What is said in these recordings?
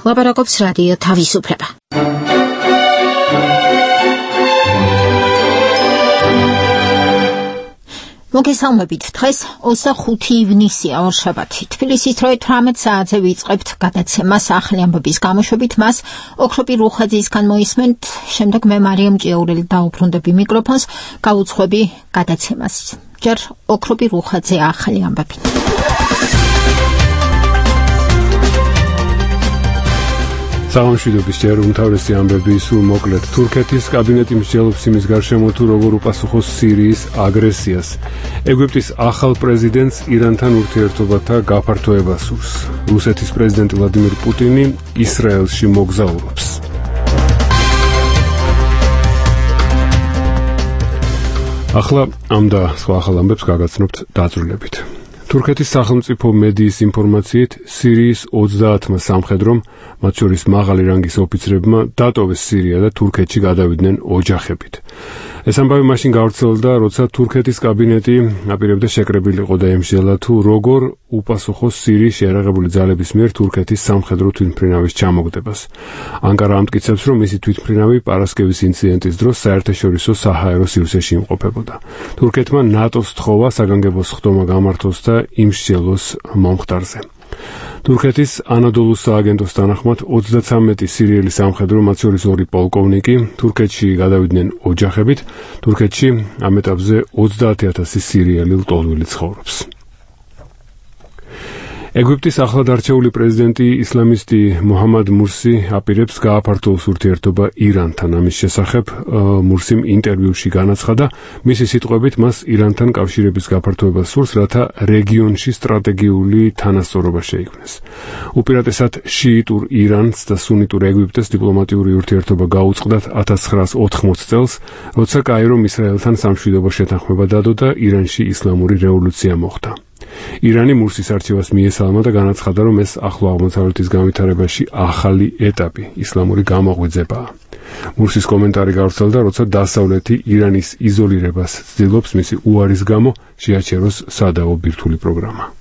ლაპარაკობს რადიო თავისუფლება. მოგესალმებით, დღეს 25 ივნისია, ორშაბათი. თბილისის დროით 18 საათზე ვიწყებთ გადაცემას ახალი ამბების გამოშვებით. მას ოქროპი რუხაძისგან მოისმენთ, შემდეგ მე მარიამ ჭიაურელი დაუბრუნდები მიკროფონს, გავუძღვები გადაცემას. ჯერ ოქროპი რუხაძე ახალი ამბები. სამშვიდობის ჯერ უმთავრესი ამბები სულ მოკლედ. თურქეთის კაბინეტი მსჯელობს იმის გარშემო თუ როგორ უპასუხოს სირიის აგრესიას. ეგვიპტის ახალ პრეზიდენტს ირანთან ურთიერთობათა გაფართოება სურს. რუსეთის პრეზიდენტი ვლადიმირ პუტინი ისრაელში მოგზაურობს. ახლა ამ და სხვა ახალ ამბებს გაგაცნობთ დაწვრილებით. თურქეთის სახელმწიფო მედიის ინფორმაციით, სირიის 30 სამხედრომ, მათ შორის მაღალი რანგის ოფიცრებმა, დატოვეს სირია და თურქეთში გადავიდნენ ოჯახებით. ეს ამბავი მაშინ გავრცელდა, როცა თურქეთის კაბინეტი აპირებდა შეკრებილიყო და ემსჯელა თუ როგორ უპასუხოს სირიის შეიარაღებული ძალების მიერ თურქეთის სამხედრო თვითმფრინავის ჩამოგდებას. ანკარა ამტკიცებს, რომ მისი თვითმფრინავი პარასკევის ინციდენტის დროს საერთაშორისო საჰაერო სივრცეში იმყოფებოდა. თურქეთმა ნატოს თხოვა საგანგებო სხდომა გამართოს და იმსჯელოს მომხდარზე. თურქეთის ანადოლუს სააგენტოს თანახმად 33 სირიელი სამხედრო, მათ შორის 2 პოლკოვნიკი, თურქეთში გადავიდნენ ოჯახებით. თურქეთში ამ ეტაპზე 30,000 სირიელი ლტოლვილი ცხოვრობს. ეგვიპტის ახლად არჩეული პრეზიდენტი ისლამისტი მუჰამად მურსი აპირებს გააფართოვოს ურთიერთობა ირანთან. ამის შესახებ მურსიმ ინტერვიუში განაცხადა, მისი სიტყვებით მას ირანთან კავშირების გაფართოება სურს, რათა რეგიონში სტრატეგიული თანასწორობა შეიქმნეს. უპირატესად შიიტურ ირანს და სუნიტურ ეგვიპტეს დიპლომატიური ურთიერთობა გაუწყდათ 1980 წელს, როცა კაირომ ისრაელთან სამშვიდობო შეთანხმება დადო და ირანში ისლამური რევოლუცია მოხდა. ირანი მურსის არჩევას მიესალმა და განაცხადა, რომ ეს ახლო აღმოსავლეთის განვითარებაში ახალი ეტაპი, ისლამური გამოღვიძებაა. მურსის კომენტარი გავრცელდა, როცა დასავლეთი ირანის იზოლირებას ცდილობს მისი უარის გამო შეაჩეროს სადაო ბირთვული პროგრამა.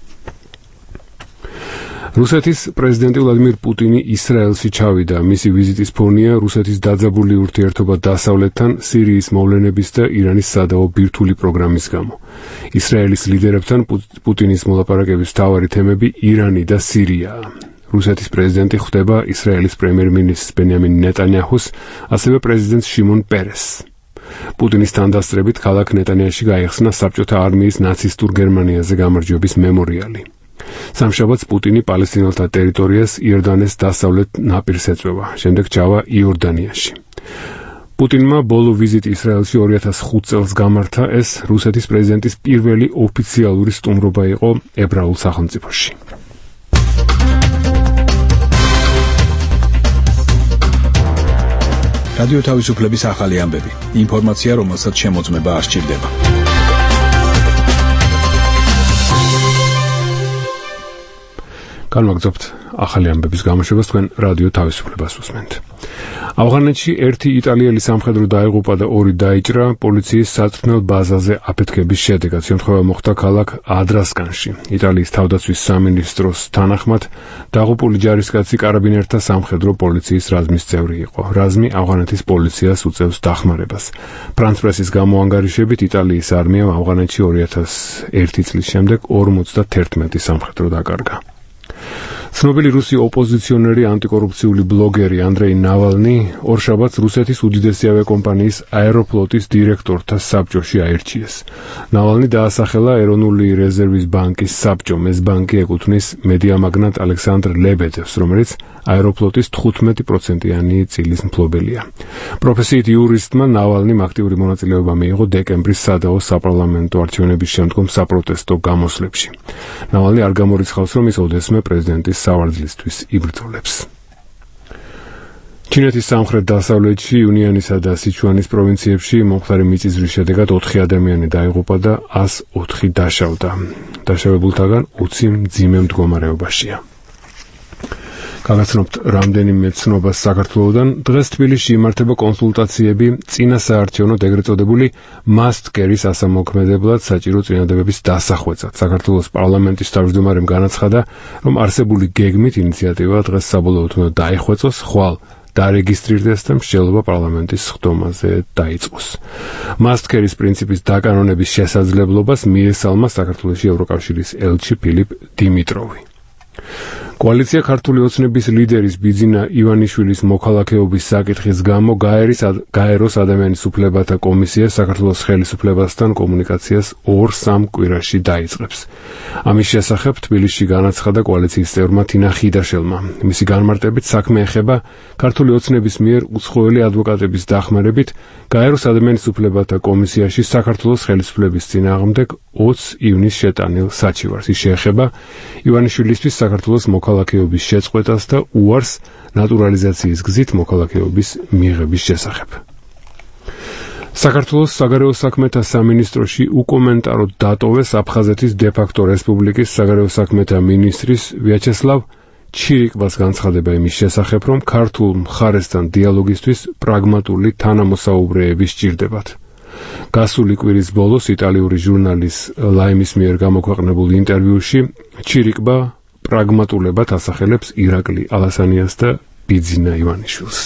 რუსეთის პრეზიდენტი ვლადიმირ პუტინი ისრაელში ჩავიდა. მისი ვიზიტის ფონია რუსეთის დაძაბული ურთიერთობა დასავლეთთან, სირიის მოვლენების და ირანის სადაო ბირთვული პროგრამის გამო. ისრაელის ლიდერებთან პუტინის მოლაპარაკების მთავარი თემები ირანი და სირიაა. რუსეთის პრეზიდენტი ხვდება ისრაელის პრემიერ-მინისტრს ბენიამინ ნეტანიაჰუს, ასევე პრეზიდენტს შიმონ პერესს. პუტინის თანდასწრებით ქალაქ ნეტანიაჰში გაიხსნა საბჭოთა არმიის ნაცისტურ გერმანიაზე გამარჯვების მემორიალი. სამშაბათს პუტინი პალესტინელთა ტერიტორიას იორდანეს დასავლეთ ნაპირს ეწვევა, შემდეგ ჩავა იორდანიაში. პუტინმა ბოლო ვიზიტი ისრაელში 2005 წელს გამართა. ეს რუსეთის პრეზიდენტის პირველი ოფიციალური სტუმრობა იყო ებრაულ სახელმწიფოში. რადიო თავისუფლების ახალი ამბები. ინფორმაცია, რომელსაც შემოწმება არ სჭირდება. განვაგრძობთ ახალი ამბების გამოშვებას, თქვენ რადიო თავისუფლებას უსმენთ. ავღანეთში 1 იტალიელი სამხედრო დაიღუპა და 2 დაიჭრა პოლიციის საწვრთნელ ბაზაზე აფეთქების შედეგად. შემთხვევა მოხდა ქალაქ ადრასკანში. იტალიის თავდაცვის სამინისტროს თანახმად, დაღუპული ჯარისკაცი კარაბინერთა სამხედრო პოლიციის რაზმის წევრი იყო. რაზმი ავღანეთის პოლიციას უწევს დახმარებას. ფრანც პრესის გამოანგარიშებით, იტალიის არმიამ ავღანეთში 2001 წლის შემდეგ 51 სამხედრო დაკარგა. ცნობილი რუსი ოპოზიციონერი ანტიკორუფციული ბლოგერი ანდრეი ნავალნი ორშაბათს რუსეთის უდიდესი ავიაკომპანიის აეროფლოტის დირექტორთა საბჭოში აირჩიეს. ნავალნი დაასახელა ეროვნული რეზერვის ბანკის საბჭომ. ეს ბანკი ეკუთვნის მედიამაგნატ ალექსანდრ ლებედევს, რომელიც აეროფლოტის 15%-იანი წილის მფლობელია. პროფესიით იურისტმა ნავალნიმ აქტიური მონაწილეობა მიიღო დეკემბრის სადაო საპარლამენტო არჩევნების შემდგომ საპროტესტო გამოსვლებში. ნავალნი არ გამორიცხავს, რომ ის ოდესმე პრეზიდენტის სავარძლისთვის იბრძოლებს. ჩინეთის სამხრეთ-დასავლეთში იუნიანისა და სიჩუანის პროვინციებში მომხდარი მიწისძვრის შედეგად 4 ადამიანი დაიღუპა და 104 დაშავდა. დაშავებულთაგან 20 მძიმე მდგომარეობაშია. გაგაცნობთ რამდენიმე ცნობას საქართველოდან. დღეს თბილისში იმართება კონსულტაციები წინა საარჩევნო ეგრეთ წოდებული must carry-ს ასამოქმედებლად საჭირო წინადადებების დასახვეწად. საქართველოს პარლამენტის თავმჯდომარემ განაცხადა, რომ არსებული გეგმით ინიციატივა დღეს საბოლოოდ უნდა დაიხვეწოს, ხვალ დარეგისტრირდეს და მსჯელობა პარლამენტის სხდომაზე დაიწყოს. must carry-ს პრინციპის დაკანონების შესაძლებლობას მიესალმა საქართველოში ევროკავშირის ელჩი ფილიპ დიმიტროვი. კოალიცია ქართული ოცნების ლიდერის ბიძინა ივანიშვილის მოქალაქეობის საკითხის გამო გაეროს ადამიანის უფლებათა კომისია საქართველოს ხელისუფლებასთან კომუნიკაციას 2-3 კვირაში დაიწყებს. ამის შესახებ თბილისში განაცხადა კოალიციის წევრმა თინა ხიდაშელმა. მისი განმარტებით საქმე ეხება ქართული ოცნების მიერ უცხოელი ადვოკატების დახმარებით გაეროს ადამიანის უფლებათა კომისიაში საქართველოს ხელისუფლების წინააღმდეგ 20 ივნის შეტანილ საჩივარს. ის შეეხება ივანიშვილისთვის საქართველოს მოქალაქეობის შეწყვეტას და უარს ნატურალიზაციის გზით მოქალაქეობის მიღების შესახებ. საქართველოს საგარეო საქმეთა სამინისტროში უკომენტაროდ დატოვეს აფხაზეთის დე-ფაქტო რესპუბლიკის საგარეო საქმეთა მინისტრის ვიაჩესლავ ჩირიკბას განცხადება იმის შესახებ, რომ ქართულ მხარესთან დიალოგისთვის პრაგმატული თანამოსაუბრეები სჭირდებათ. გასული კვირის ბოლოს იტალიური ჟურნალის ლაიმის მიერ გამოქვეყნებულ ინტერვიუში ჩირიკბა პრაგმატულებად ასახელებს ირაკლი ალასანიას და ბიძინა ივანიშვილს.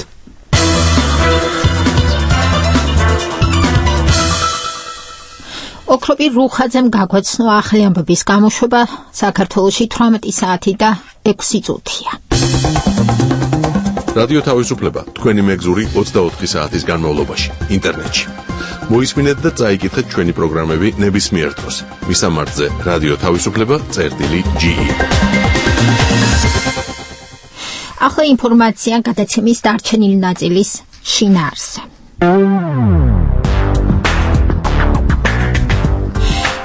ოქროპირ რუხაძემ გაგვაცნო ახალი ამბების გამოშვება საქართველოში 18 საათი და 6 წუთია. რადიო თავისუფლება თქვენი მეგზური 24 საათის განმავლობაში ინტერნეტში. მოისმინეთ და წაიკითხეთ ჩვენი პროგრამები ნებისმიერ დროს. მისამართზე რადიო თავისუფლება.ge. ახლა ინფორმაცია გადაცემის დარჩენილი ნაწილის შინაარსზე.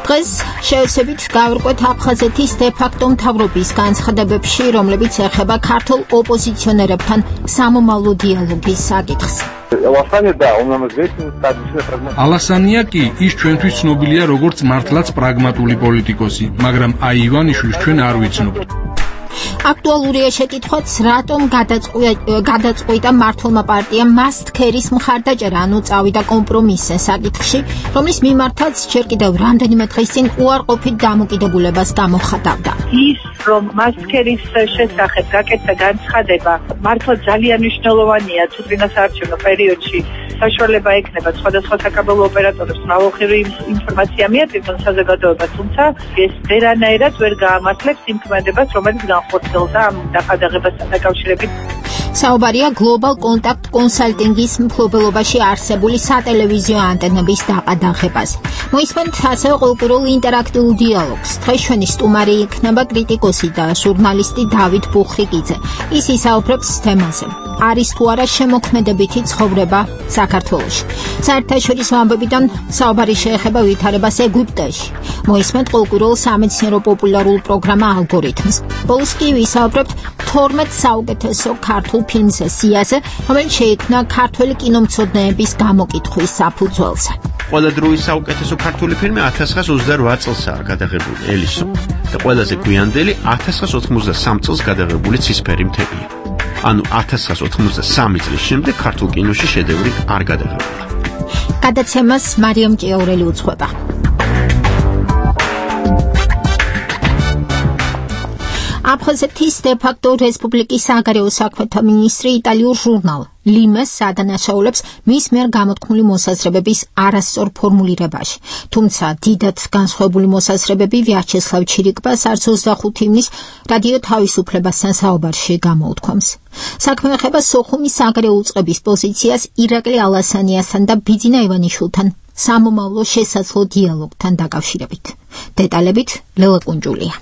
დღეს შევსებით გავერკვეთ აფხაზეთის დე-ფაქტო მთავრობის განცხადებებში, რომლებიც ეხება ქართულ ოპოზიციონერებთან სამომავლო დიალოგის საკითხს. ალასანია კი ის ჩვენთვის ცნობილია როგორც მართლაც პრაგმატული პოლიტიკოსი, მაგრამ აი ივანიშვილს ჩვენ არ ვიცნობთ. აქტუალურია შეკითხვაც, რატომ გადაწყვიტა მართლმა პარტიამ must carry-ს მხარდაჭერა, ანუ წავიდა კომპრომისზე საკითხში, რომლის მიმართაც ჯერ კიდევ რამდენიმე დღის წინ უარყოფით დამოკიდებულებას გამოხატავდა. ის რომ must carry-ს შესახებ გაკეთდა განცხადება, მართლა ძალიან მნიშვნელოვანია წინა საარჩევნო პერიოდში. საშუალება ექნება სხვადასხვა საკაბელო ოპერატორებს მრავალხრივი ინფორმაცია მიაწვდონ საზოგადოებას, თუმცა ეს ვერანაირად ვერ გაამართლებს იმ ქმედებას, რომელიც განხორციელდა ამ დახადაღებასთან დაკავშირებით. საუბარია Global Contact Consulting-ის მფლობელობაში არსებული სატელევიზიო ანტენების დაყადაღებას. მოისმენთ ასევე ყოველკვირეულ ინტერაქტიულ დიალოგს. დღეს ჩვენი სტუმარი იქნება კრიტიკოსი და ჟურნალისტი დავით ბუხრიკიძე. ის ისაუბრებს თემაზე. არის თუ არა შემოქმედებითი ცხოვრება საქართველოში. საერთაშორისო ამბებიდან საუბარი შეეხება ვითარებას ეგვიპტეში. მოისმენთ ყოველკვირეულ სამეცნიერო პოპულარულ პროგრამა ალგორითმს. ბოლოს კი ვისაუბრებთ 12 საუკეთესო ქართულ ფილმზე სიაზე, რომელიც შეიქმნა ქართველი კინომცოდნეების გამოკითხვის საფუძველზე. ყველა დროის საუკეთესო ქართული ფილმი 1928 წელსაა გადაღებული ელისო და ყველაზე გვიანდელი 1993 წელს გადაღებული ცისფერი მთებია. ანუ 1993 წლის შემდეგ ქართულ კინოში შედევრი არ გადაღებულა. გადაცემას მარიამ ჭიაურელი უძღვება. აფხაზეთის დე-ფაქტო რესპუბლიკის საგარეო საქმეთა მინისტრი იტალიურ ჟურნალ ლიმეს ადანაშაულებს მის მიერ გამოთქმული მოსაზრებების არასწორ ფორმულირებაში. თუმცა დიდად განსხვავებული მოსაზრებები ვიაჩესლავ ჩირიკბას არც 25 ივნის რადიო თავისუფლებასთან საუბარში გამოუთქვამს. საქმე ეხება სოხუმის საგარეო უწყების პოზიციას ირაკლი ალასანიასთან და ბიძინა ივანიშვილთან სამომავლო შესაძლო დიალოგთან დაკავშირებით. დეტალებით ლელა კუნჯულია.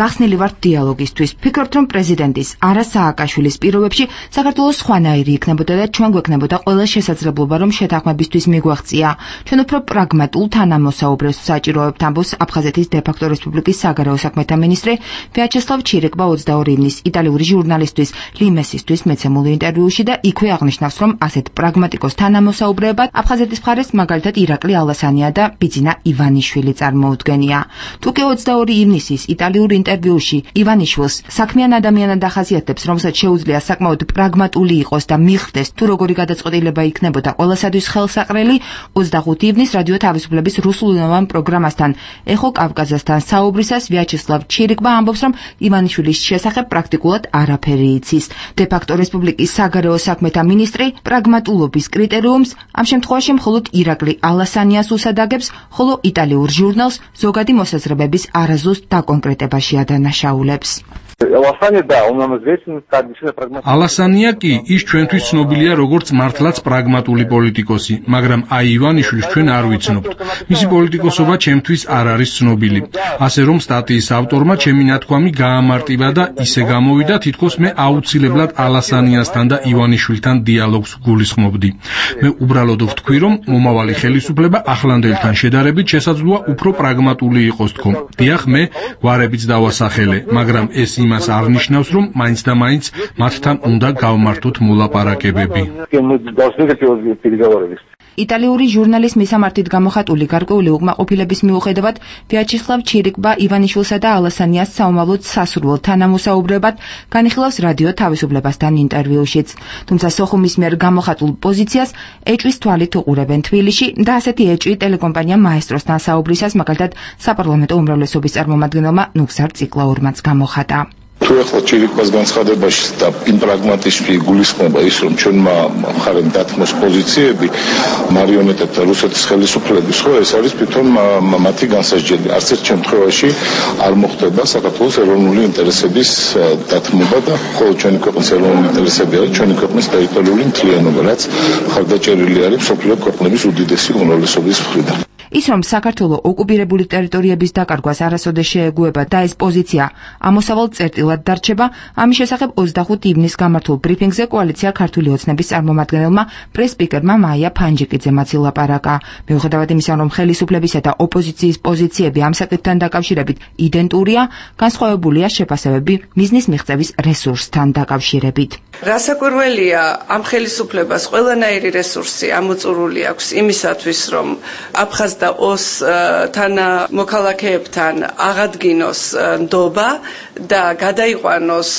გახსნილი ვართ დიალოგისთვის. ფიქრობთ, რომ პრეზიდენტის არა სააკაშვილის პირობებში საქართველოს სხვანაირი იქნებოდა და ჩვენ გვექნებოდა ყველა შესაძლებლობა, რომ შეთანხმებისთვის მიგვაღწია. ჩვენ უფრო პრაგმატულ თანამოსაუბრეს საჭიროებთ, ამბობს აფხაზეთის დე-ფაქტო რესპუბლიკის საგარეო საქმეთა მინისტრი ვიაჩესლავ ჩირიკბა 22 ივნის იტალიური ჟურნალისტვის ლიმესისთვის მეცემულ ინტერვიუში და იქვე აღნიშნავს, რომ ასეთ პრაგმატიკოს თანამოსაუბრეებად აფხაზეთის მხარეს მაგალითად ირაკლი ალასანია და ბიძინა ივანიშვილი წარმოუდგენია. თუ კი 22 ივნისის იტალიური ინტერვიუში ივანიშვილს საქმიან ადამიანად ახასიათებს, რომელსაც შეუძლია საკმაოდ პრაგმატული იყოს და მიხვდეს თუ როგორი გადაწყვეტილება იქნებოდა ყველასათვის ხელსაყრელი 25 ივნის რადიო თავისუფლების რუსულენოვან პროგრამასთან ეხო კავკაზასთან საუბრისას ვიაჩესლავ ჩირიკბა ამბობს, რომ ივანიშვილის შესახებ პრაქტიკულად არაფერი იცის. დე-ფაქტო რესპუბლიკის საგარეო საქმეთა მინისტრი პრაგმატულობის კრიტერიუმს ამ შემთხვევაში მხოლოდ ირაკლი ალასანიას usადაგებს, ხოლო იტალიურ ჟურნალს ზოგადი მოსაზრებების არაზუსტ დაკონკრეტებაში ადანაშაულებს. ალასანია კი ის ჩვენთვის ცნობილია როგორც მართლაც პრაგმატული პოლიტიკოსი, მაგრამ აი ივანიშვილს ჩვენ არ ვიცნობთ. მისი პოლიტიკოსობა ჩემთვის არ არის ცნობილი. ასე რომ სტატიის ავტორმა ჩემი ნათქვამი გაამარტივა და ისე გამოვიდა, თითქოს მე აუცილებლად ალასანიასთან და ივანიშვილთან დიალოგს გულისხმობდი. მე უბრალოდ ვთქვი, რომ მომავალი ხელისუფლება ახლანდელთან შედარებით შესაძლოა უფრო პრაგმატული იყოს თქო. დიახ, მე გვარებიც დავასახელე, მაგრამ ეს იმას არ ნიშნავს, რომ მაინც და მაინც მათთან უნდა გავმართოთ მოლაპარაკებები. იტალიური ჟურნალის მისამართით გამოხატული გარკვეული უკმაყოფილების მიუხედავად ვიაჩესლავ ჩირიკბა ივანიშვილსა და ალასანიას საომავლოდ სასურველ თანამოსაუბრებად განიხილავს რადიო თავისუფლებასთან ინტერვიუშიც. თუმცა სოხუმის მიერ გამოხატულ პოზიციას ეჭვის თვალით უყურებენ თბილისში და ასეთი ეჭვი ტელეკომპანია მაესტროსთან საუბრისას მაგალითად sapparlamento უმრავლესობის წარმომადგენელმა ნუგზარ ციკლაურმაც გამოხატა. თუ ახლა ჩირიკბას განცხადებაში და იმ პრაგმატიზმში გულისხმობა ის, რომ ჩვენმა მხარემ დათმოს პოზიციები მარიონეტებთან რუსეთის ხელისუფლების, ხო ეს არის თვითონ მათი განსაჯელი. არც ერთ შემთხვევაში არ მოხდება საქართველოს ეროვნული ინტერესების დათმობა და ხოლო ჩვენი ქვეყნის ეროვნული ინტერესები არის ჩვენი ქვეყნის ტერიტორიული მთლიანობა, რაც მხარდაჭერილი არის მსოფლიო ქვეყნების უდიდესი უმრავლესობის მხრიდან. ის, რომ საქართველო ოკუპირებული ტერიტორიების დაკარგვას არასოდეს შეეგუება და ეს პოზიცია ამოსავალ წერტილად დარჩება, ამის შესახებ 25 ივნის გამართულ ბრიფინგზე კოალიცია ქართული ოცნების წარმომადგენელმა პრეს-სპიკერმა მაია ფანჯიკიძემაც ილაპარაკა. მიუხედავად იმისა, რომ ხელისუფლებისა და ოპოზიციის პოზიციები ამ საკითხთან დაკავშირებით იდენტურია, განსხვავებულია შეფასებები მიზნის მიღწევის რესურსთან დაკავშირებით. რასაკვირველია, ამ ხელისუფლებას ყველანაირი რესურსი ამოწურული აქვს იმისათვის, რომ აფხაზ და ოს თანამოქალაქეებთან აღადგინოს ნდობა და გადაიყვანოს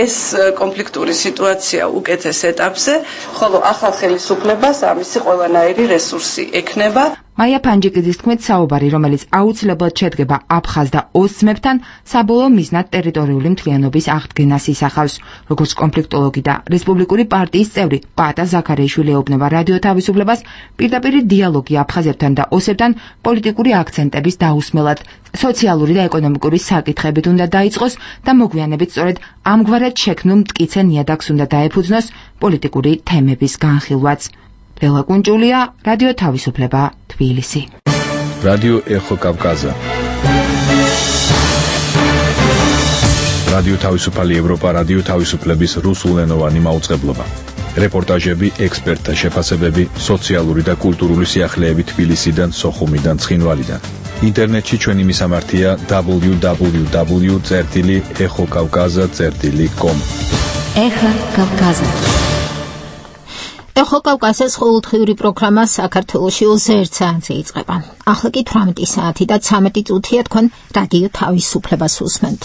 ეს კონფლიქტური სიტუაცია უკეთეს ეტაპზე, ხოლო ახალ ხელისუფლებას ამისი ყველანაირი რესურსი ექნება. მაია ფანჯიკიძის თქმით, საუბარი, რომელიც აუცილებლად შედგება აფხაზ და ოს ძმებთან, საბოლოო მიზნად ტერიტორიული მთლიანობის აღდგენას ისახავს. როგორც კონფლიქტოლოგი და რესპუბლიკური პარტიის წევრი პატა ზაქარიაშვილი ეუბნება რადიო თავისუფლებას, პირდაპირი დიალოგი აფხაზებთან და ოსებთან პოლიტიკური აქცენტების დაუსმელად, სოციალური და ეკონომიკური საკითხებით უნდა დაიწყოს და მოგვიანებით სწორედ ამგვარად შექმნილ მტკიცე ნიადაგს უნდა დაეფუძნოს პოლიტიკური თემების განხილვაც. ლელა კუნჭულია, რადიო თავისუფლება, თბილისი. რადიო ეხო კავკაზა. რადიო თავისუფალი ევროპა, რადიო თავისუფლების რუსულენოვანი მაუწყებლობა. რეპორტაჟები, ექსპერტთა შეფასებები, სოციალური და კულტურული სიახლეები თბილისიდან, სოხუმიდან, ცხინვალიდან. ინტერნეტში ჩვენი მისამართია www.exokavkaza.com. ეხა კავკაზა. ეხო კავკაზას ყოველდღიური პროგრამა საქართველოში 21 საათზე იწყება. ახლა კი 18 საათი და 13 წუთია თქვენ რადიო თავისუფლებას უსმენთ.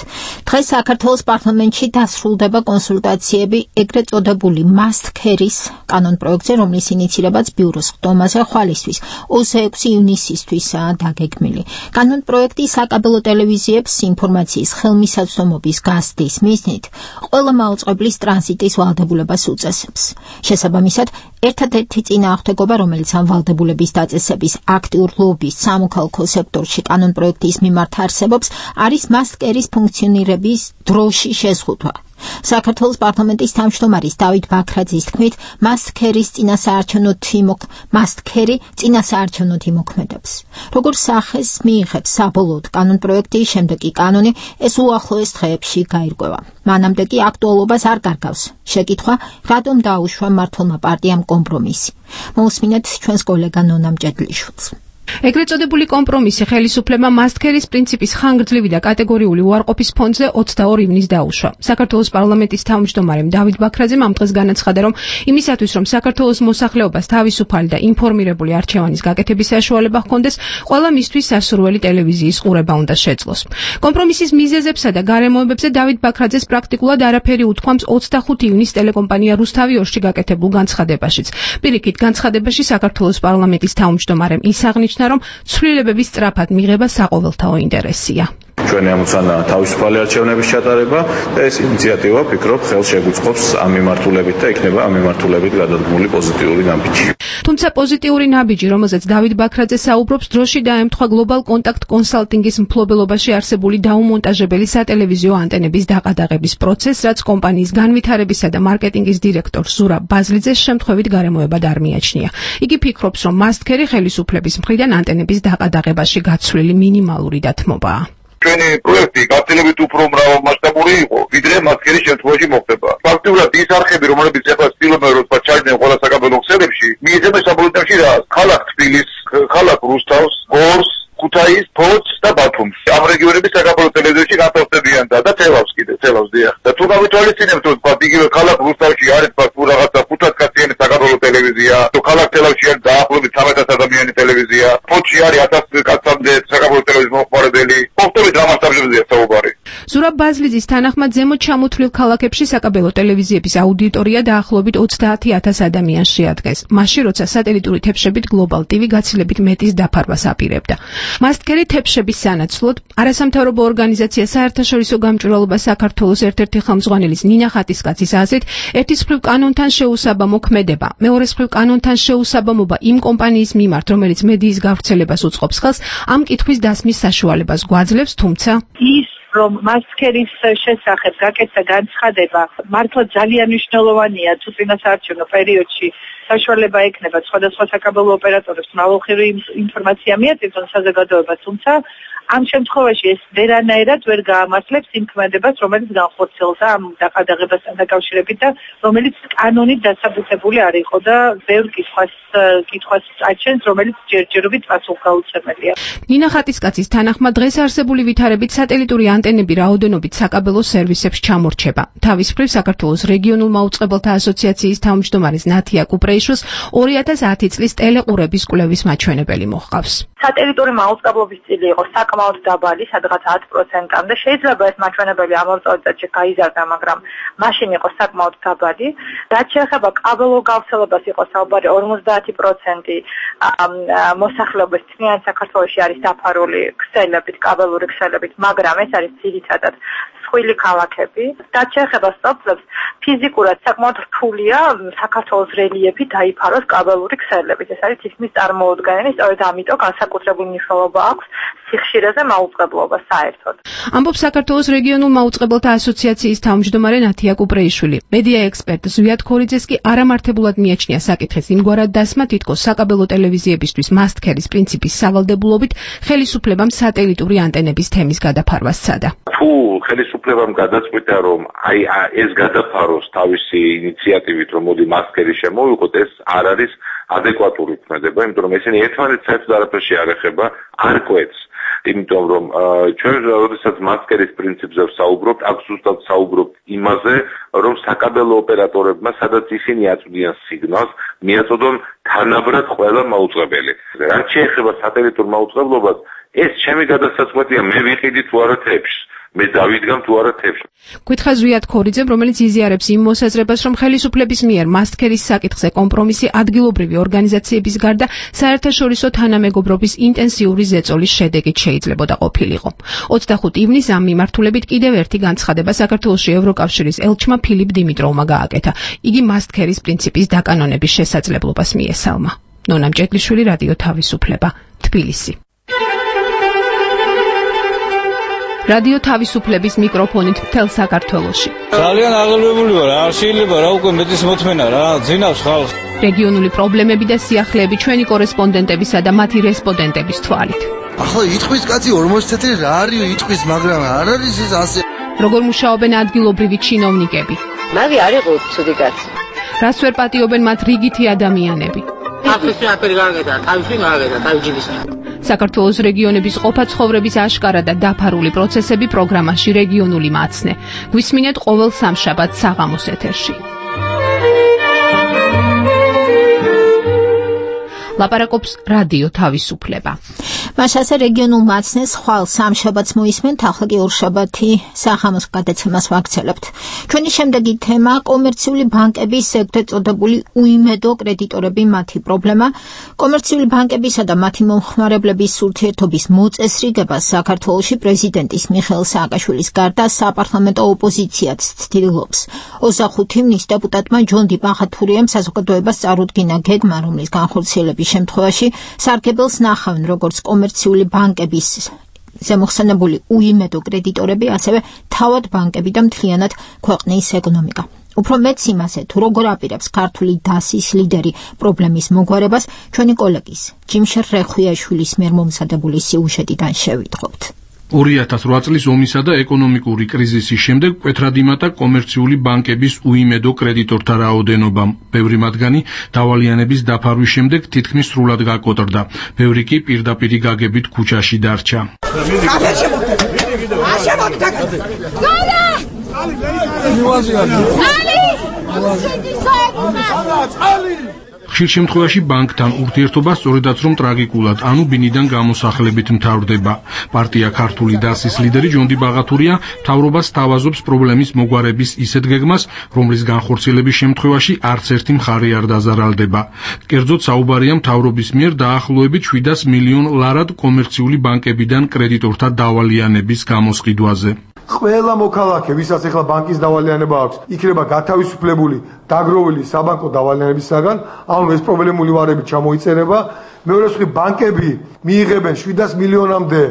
დღეს საქართველოს პარლამენტში დასრულდება კონსულტაციები ეგრეთ წოდებული must carry-ის კანონპროექტზე, რომლის ინიცირებაც ბიუროს ხდომაზე ხვალისთვის 26 ივნისისთვისაა დაგეგმილი. კანონპროექტი საკაბელო ტელევიზიებს ინფორმაციის ხელმისაწვდომობის გაზრდის მიზნით ყველა მაუწყებლის ტრანზიტის ვალდებულებას უწესებს. შესაბამისად, ერთადერთი წინააღმდეგობა, რომელიც ამ ვალდებულების დაწესების აქტიურ ლობის სამოქალაქო სექტორში კანონპროექტის მიმართ არსებობს, არის must carry-ის ფუნქციონირების დროში შეზღუდვა. საქართველოს პარლამენტის თავმჯდომარის დავით ბაქრაძის თქმით, must carry-ის წინასაარჩევნოდ იმოქმედებს. როგორც სახეს მიიღებს საბოლოოდ კანონპროექტი, შემდეგ კი კანონი, ეს უახლოეს დღეებში გაირკვევა. მანამდე კი აქტუალობას არ კარგავს შეკითხვა, რატომ დაუშვა მმართველმა პარტიამ კომპრომისი. მოусმინეთ ჩვენს კოლეგა ნონა მჭედლიშვილს. ეგრეთ წოდებული კომპრომისი ხელისუფლებამ მასტქერის პრინციპის ხანგრძლივი და კატეგორიული უარყოფის ფონზე 22 ივნისს დაუშვა. საქართველოს პარლამენტის თავმჯდომარემ დავით ბაქრაძემ ამ დღეს განაცხადა, რომ იმისათვის, რომ საქართველოს მოსახლეობას თავისუფალი და ინფორმირებული არჩევანის გაკეთების საშუალება ჰქონდეს, ყველა მისთვის სასურველი ტელევიზიის ყურება უნდა შეძლოს. კომპრომისის მიზეზებსა და გარემოებებზე დავით ბაქრაძეს პრაქტიკულად არაფერი უთქვამს 25 ივნისს ტელეკომპანია რუსთავი 2-ში გაკეთებულ განცხადებაშიც. პირიქით, განცხადებაში საქართველოს პარლამენტის თავმჯდომარემ ისაღნიშნა, რომ ცვლილებების სწრაფად მიღება საყოველთაო ინტერესია. ჩვენი ამოცანა თავისუფალი არჩევნების ჩატარება და ეს ინიციატივა ვფიქრობ ხელს შეგუწყობს ამ მიმართულებით და იქნება ამ მიმართულებით გადადგმული პოზიტიური ნაბიჯი. თუმცა პოზიტიური ნაბიჯი, რომელზეც დავით ბაქრაძე საუბრობს, დროში დაემთხვა გლობალ კონტაქტ კონსალტინგის მფლობელობაში არსებული დაუმონტაჟებელი სატელევიზიო ანტენების დაყადაღების პროცესს, რაც კომპანიის განვითარებისა და მარკეტინგის დირექტორ ზურაბ ბაზლიძეს შემთხვევით გარემოებად არ მიაჩნია. იგი ფიქრობს, რომ მასტქერი ხელისუფლების მხრიდან ანტენების დაყადაღებაში გაცვლილი მინიმალური დათმობაა. ჩვენი პროექტი გაცილებით უფრო მრავალმასშტაბური იყო, ვიდრე მასტქერის შემთხვევაში მოხდება. ფაქტობრივად ის არხები, რომელებიც ახლა ცდილობენ რომ ჩაიდნენ ყველა საკაბელო ქსელებში, მიეძებენ საბოლოოში რა? ქალაქ თბილისს, ქალაქ რუსთავს, გორს, ქუთაისს, ფოთს და ბათუმს. ამ რეგიონების საკაბელო ტელევიზიაში განთავსებიან და თელავს დიახ. და თუ გავითვალისწინებთ, რომ იგივე ქალაქ რუსთავში არის თუ რაღაცა 500 კაციანი საკაბელო ტელევიზია, თუ ქალაქ თელავში არის დაახლოებით 1300 ადამიანიანი ტელევიზია, ფოთში არის 1000 კაცამდე საკაბელო ტელევიზიის მომხმარებელი. მოხდებით რა მასშტაბებზეა საუბარი. ზურაბ ბაზლიძის თანახმად ზემოთ ჩამოთვლილ ქალაქებში საკაბელო ტელევიზიების აუდიტორია დაახლოებით 30000 ადამიანს შეადგენს. მაშინ, როცა სატელიტური თებშებით Global TV გაცილებით მეტის დაფარვას აპირებდა. მასტქერი თებშების სანაცვლოდ არასამთავრობო ორგანიზაცია საერთაშორისო გამჭვირვალობა საქართველოს ერთ-ერთი ხელმძღვანელის ნინა ხატისკაცის აზრით, ერთის მხრივ კანონთან შეუსაბამო ქმედება, მეორეს მხრივ კანონთან შეუსაბამობა იმ კომპანიის მიმართ, რომელიც მედიის გავრცელებას უწყობს ხელს, ამ კითხვის დასმის საშუალებას გვაძლევს, თუმცა ის რომ მასტქერის შესახებ გაკეთდა განცხადება მართლა ძალიან მნიშვნელოვანია თუ წინასაარჩევნო პერიოდში საშუალება ექნება სხვადასხვა საკაბელო ოპერატორებს მრავალხრივი ინფორმაცია მიაწოდონ საზოგადოებას, თუმცა ამ შემთხვევაში ეს ვერანაირად ვერ გაამართლებს იმ ქმედებას, რომელიც განხორციელდა ამ დაყადაღებასთან დაკავშირებით და რომელიც კანონით დასაბუთებული არ იყო და ბევრ კითხვას აჩენს, რომელიც ჯერჯერობით პასუხგაუცემელია. ნინა ხატისკაცის თანახმად დღეს არსებული ვითარებით სატელიტური ანტენები რაოდენობით საკაბელო სერვისებს ჩამორჩება. თავის მხრივ საქართველოს რეგიონულ მაუწყებელთა ასოციაციის თავმჯდომარის ნათია კუპრეიშვილს 2010 წლის ტელეყურების კვლევის მაჩვენებელი მოჰყავს. სატელიტური მაუწყებლობის წილი იყო საკმაოდ დაბალი, სადღაც 10%-მდე. შეიძლება ეს მაჩვენებელი ამავე წელს გაიზარდა, მაგრამ მაშინ იყო საკმაოდ დაბალი. რაც შეეხება კაბელო გავრცელებას, იყო საუბარი 50% მოსახლეობის თნიან საქართველოში არის დაფარული ქსელებით, კაბელური ქსელებით, მაგრამ ეს არის ძირითადად სხვილი ქალაქები. რაც შეეხება სტოპლებს, ფიზიკურად საკმაოდ რთულია საქართველოს რელიეფი დაიფაროს კაბელური ქსელებით. ეს არის თითქმის წარმოუდგენელი, სწორედ ამიტომ განსაკუთრებული მნიშვნელობა აქვს სიხშირეზე მაუწყებლობა საერთოდ. ამბობს საქართველოს რეგიონულ მაუწყებელთა ასოციაციის თავმჯდომარე ნათია კუპრეიშვილი. მედია ექსპერტ ზვიად ქორიძეს კი არამართებულად მიაჩნია საკითხის იმგვარად დასმა, თითქოს საკაბელო ტელევიზიებისთვის მასტქერის პრინციპის სავალდებულობით ხელისუფლებამ სატელიტური ანტენების თემის გადაფარვა სცადა. თუ ხელისუფლებამ გადაწყვიტა, რომ ეს გადაფაროს თავისი ინიციატივით, რომ მოდი მასტქერი შემოვიღოთ, ეს არ არის ადეკვატური ქმედება, იმიტომ რომ ესენი ერთმანეთს საერთოდ არაფერში არ ეხება, არ კვეთს. იმიტომ რომ ჩვენ როდესაც მასტქერის პრინციპზე ვსაუბრობთ, აქ ზუსტად ვსაუბრობთ იმაზე, რომ საკაბელო ოპერატორებმა, სადაც ისინი აწვდიან სიგნალს, მიაწოდონ თანაბრად ყველა მაუწყებელი. რაც შეეხება სატელიტურ მაუწყებლობას, ეს ჩემი გადასაწყვეტია, მე ვიყიდი თუ არა თებში. მე დავიდგამ თუ არა თებში. გითხრა ზვიად ქორიძემ, რომელიც იზიარებს იმ მოსაზრებას, რომ ხელისუფლების მიერ მასტქერის საკითხზე კომპრომისი ადგილობრივი ორგანიზაციების გარდა საერთაშორისო თანამეგობრობის ინტენსიური ზეწოლის შედეგით შეიძლებოდა ყოფილიყო. 25 ივნისს ამ მიმართულებით კიდევ ერთი განცხადება საქართველოში ევროკავშირის ელჩმა ფილიპ დიმიტროვმა გააკეთა. იგი მასტქერის პრინციპის დაკანონების შესაძლებლობას მიესალმა. ნონა მჭედლიშვილი, რადიო თავისუფლება, თბილისი. რადიო თავისუფლების მიკროფონით მთელ საქართველოში. ძალიან აღელვებული ვარ, არ შეიძლება რა უკვე მეტის მოთმენა რა, ძინავს ხალხს. რეგიონული პრობლემები და სიახლეები ჩვენი კორესპონდენტებისა და მათი რესპონდენტების თვალით. ახლა იტყვის კაცი 40 წელი რა არის იტყვის, მაგრამ არ არის ეს ასე. როგორ მუშაობენ ადგილობრივი ჩინოვნიკები? მაგი არ იყო ცუდი კაცი. რას ვერ პატიობენ მათ რიგითი ადამიანები? თავისი აფერი გარგედა, თავისი მაგედა, თავისი საქართველოს რეგიონების ყოფა ცხოვრების აშკარა და დაფარული პროცესები პროგრამაში რეგიონული მაცნე. გვისმინეთ ყოველ სამშაბათს საღამოს ეთერში. ლაპარაკობს რადიო თავისუფლება. მაშასე რეგიონულ მაცნეს ხვალ სამშაბათს მოისმენთ, ახლა კი ორშაბათი საღამოს გადაცემას ვაგრძელებთ. ჩვენი შემდეგი თემა კომერციული ბანკების ეგრეთ წოდებული უიმედო კრედიტორები, მათი პრობლემა. კომერციული ბანკებისა და მათი მომხმარებლების ურთიერთობის მოწესრიგებას საქართველოში პრეზიდენტის მიხეილ სააკაშვილის გარდა საპარლამენტო ოპოზიციაც ცდილობს. 25 ივნის დეპუტატმა ჯონდი ბაღათურიამ საზოგადოებას წარუდგინა გეგმა, რომლის განხორციელების შემთხვევაში სარგებელს ნახავენ როგორც კომერციული ბანკების ზემოხსენებული უიმედო კრედიტორები, ასევე თავად ბანკები და მთლიანად ქვეყნის ეკონომიკა. უფრო მეც იმაზე, თუ როგორ აპირებს ქართული დასის ლიდერი პრობლემის მოგვარებას, ჩვენი კოლეგის ჯიმშერ რეხვიაშვილის მიერ მომზადებული სიუჟეტიდან შევიტყობთ. 2008 წლის ომისა და ეკონომიკური კრიზისის შემდეგ მკვეთრად იმატა კომერციული ბანკების უიმედო კრედიტორთა რაოდენობამ. ბევრი მათგანი დავალიანების დაფარვის შემდეგ თითქმის სრულად გაკოტრდა. ბევრი კი პირდაპირი გაგებით ქუჩაში დარჩა. ხშირ შემთხვევაში ბანკთან ურთიერთობა სწორედაც რომ ტრაგიკულად, ანუ ბინიდან გამოსახლებით მთავრდება. პარტია ქართული დასის ლიდერი ჯონდი ბაღათურია მთავრობას თავაზობს პრობლემის მოგვარების ისეთ გეგმას, რომლის განხორციელების შემთხვევაში არც ერთი მხარე არ დაზარალდება. კერძოდ საუბარია მთავრობის მიერ დაახლოებით 700 მილიონ ლარად კომერციული ბანკებიდან კრედიტორთა დავალიანების გამოსყიდვაზე. ყველა მოქალაქე, ვისაც ახლა ბანკის დავალიანება აქვს, იქნება გათავისუფლებული დაგროვილი საბანკო დავალიანებისაგან, ანუ ეს პრობლემული ვარები ჩამოიწერება. მეორე მხრივ ბანკები მიიღებენ 700 მილიონამდე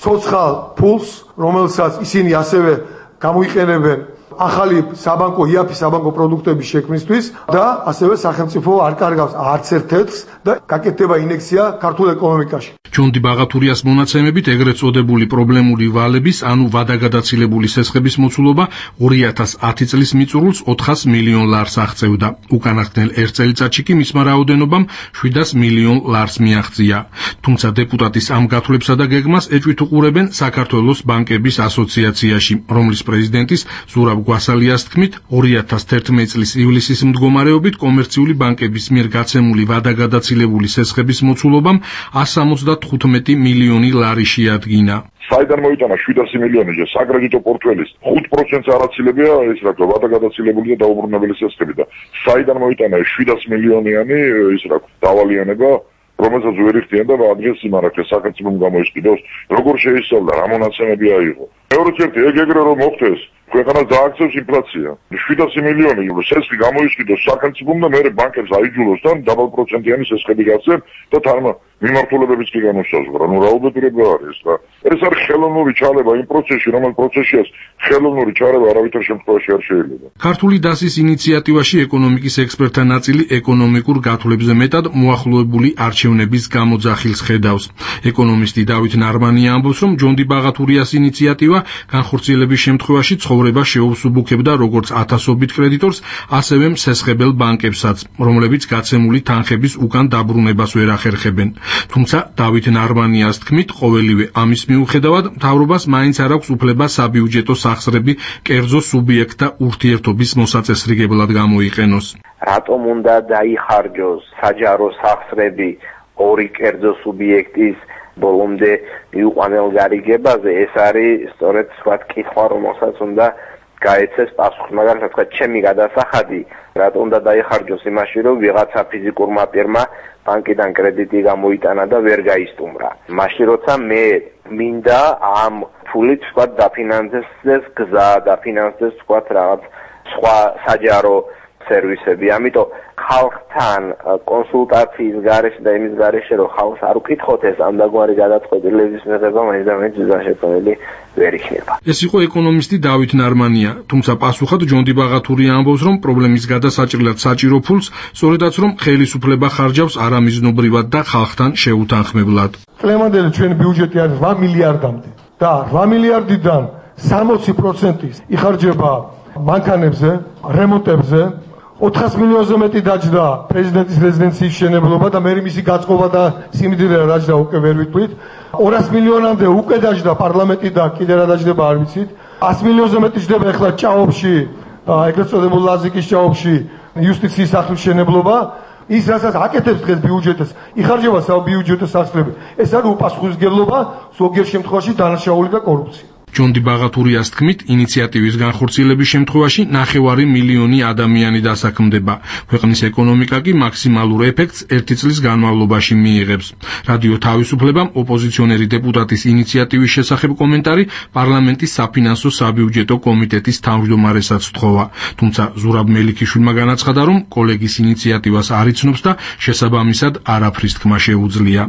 ცოცხალ ფულს, რომელსაც ისინი ასევე გამოიყენებენ ახალი საბანკო იაფი საბანკო პროდუქტების შექმნისთვის და ასევე სახელმწიფო არ კარგავს არც ერთ-ერთს და გაკეთდება ინექცია ქართულ ეკონომიკაში. ჯონდი ბაღათურიას მონაცემებით ეგრეთ წოდებული პრობლემური ვალების, ანუ ვადაგადაცილებული სესხების მოცულობა 2010 წლის მიწურულს 400 მილიონ ლარს აღწევდა. უკანასკნელ ერთ წელიწადში კი მისმა რაოდენობამ 700 მილიონ ლარს მიაღწია. თუმცა დეპუტატის ამ გათვლებსა და გეგმას ეჭვით უყურებენ საქართველოს ბანკების ასოციაციაში, რომლის პრეზიდენტის ზურაბ გვასალიას თქმით, 2011 წლის ივლისის მდგომარეობით კომერციული ბანკების მიერ გაცემული ვადაგადაცილებული სესხების მოცულობამ 175 მილიონი ლარი შეადგინა. საიდან მოიტანა 700 მილიონი საკრედიტო პორტფელის 5%-ს არაცილებია ეს რა ქვია ვადაგადაცილებული და დაუბრუნებელი სესხები და საიდან მოიტანა 700 მილიონიანი ეს რა ქვია დავალიანება, რომელსაც ვერ იხდიან და ადრეს იმარაგეს სახელმწიფომ გამოისყიდოს, როგორ შეისწავლა, რა მონაცემები აიღო. მეორე ერთი ეგრე რომ მოხდეს ქვეყანას დააქცევს ინფლაცია. 700 მილიონი სესხი გამოისყიდოს სახელმწიფომ და მეორე ბანკებს აიჯულოს და დაბალ პროცენტიანი სესხები გაცემ და თარმა მიმართულებებიც კი განუსაზღვრა. ნუ რა უბედურება არის რა. ეს არის ხელოვნური ჩარევა იმ პროცესში, რომელ პროცესშიაც ხელოვნური ჩარევა არავითარ შემთხვევაში არ შეიძლება. ქართული დასის ინიციატივაში ეკონომიკის ექსპერტთა ნაწილი ეკონომიკურ გათვლებზე მეტად მოახლოებული არჩევნების გამოძახილს ხედავს. ეკონომისტი დავით ნარმანია ამბობს, რომ ჯონდი ბაღათურიას ინიციატივა განხორციელების შემთხვევაში ცხოვრება შეუსუბუქებდა როგორც ათასობით კრედიტორს, ასევე მსესხებელ ბანკებსაც, რომლებიც გაცემული თანხების უკან დაბრუნებას ვერ ახერხებენ. თუმცა დავით ნარმანიას თქმით, ყოველივე ამის მიუხედავად მთავრობას მაინც არ აქვს უფლება საბიუჯეტო სახსრები კერძო სუბიექტთა ურთიერთობის მოსაწესრიგებლად გამოიყენოს. რატომ უნდა დაიხარჯოს საჯარო სახსრები ორი კერძო სუბიექტის ბოლომდე მიუყვანელგარიგებაზე? ეს არის სწორედ სხვა კითხვა, რომელსაც უნდა გაეცეს პასუხი. მაგალითად, თქვა ჩემი გადასახადი რატომ უნდა დაიხარჯოს იმაში, რომ ვიღაცა ფიზიკურმა პირმა ბანკიდან კრედიტი გამოიტანა და ვერ გაისტუმრა. მაშინ როცა მე მინდა ამ ფულით თქვა დაფინანსდეს გზა, დაფინანსდეს თქვა რაღაც სხვა საჯარო სერვისები. ამიტომ ხალხთან კონსულტაციის გარეშე და იმის გარეშე რომ ხალხს არ უკითხოთ ეს ამდაგვარი გადაწყვეტილების მიღება მაინც და მაინც შესაძლებელი ვერ იქნება. ეს იყო ეკონომისტი დავით ნარმანია, თუმცა პასუხად ჯონდი ბაღათურია ამბობს, რომ პრობლემის გადასაჭრელად საჭირო ფულს სწორედაც რომ ხელისუფლება ხარჯავს არამიზნობრივად და ხალხთან შეუთანხმებლად. წლევანდელი ჩვენი ბიუჯეტი არის 8 მილიარდამდე და 8 მილიარდიდან 60% იხარჯება მანქანებზე, რემონტებზე, 400 მილიონზე მეტი დაჯდა პრეზიდენტის რეზიდენციის შენებლობა და მე მისი გაწყობა და სიმდიდრე რა დაჯდა უკვე ვერ ვიტყვით. 200 მილიონამდე უკვე დაჯდა პარლამენტი და კიდე რა დაჯდება არ ვიცით. 100 მილიონზე მეტი ჯდება ახლა ჭაობში, ეგრეთ წოდებულ ლაზიკის ჭაობში იუსტიციის სახლის შენებლობა. ის რასაც აკეთებს დღეს ბიუჯეტს, იხარჯება საბიუჯეტო სახსრები. ეს არის უპასუხისმგებლობა, ზოგიერთ შემთხვევაში დანაშაული და კორუფცია. ჯონდი ბაღათურიას თქმით, ინიციატივის განხორციელების შემთხვევაში 9 მილიონი ადამიანი დასაქმდება. ქვეყნის ეკონომიკა კი მაქსიმალურ ეფექტს 1 წლის განმავლობაში მიიღებს. რადიო თავისუფლებამ ოპოზიციონერი დეპუტატის ინიციატივის შესახებ კომენტარი პარლამენტის საფინანსო საბიუჯეტო კომიტეტის თავმჯდომარესაც თხოვა. თუმცა ზურაბ მელიქიშვილმა განაცხადა, რომ კოლეგის ინიციატივას არ იცნობს და შესაბამისად არაფრის თქმა შეუძლია.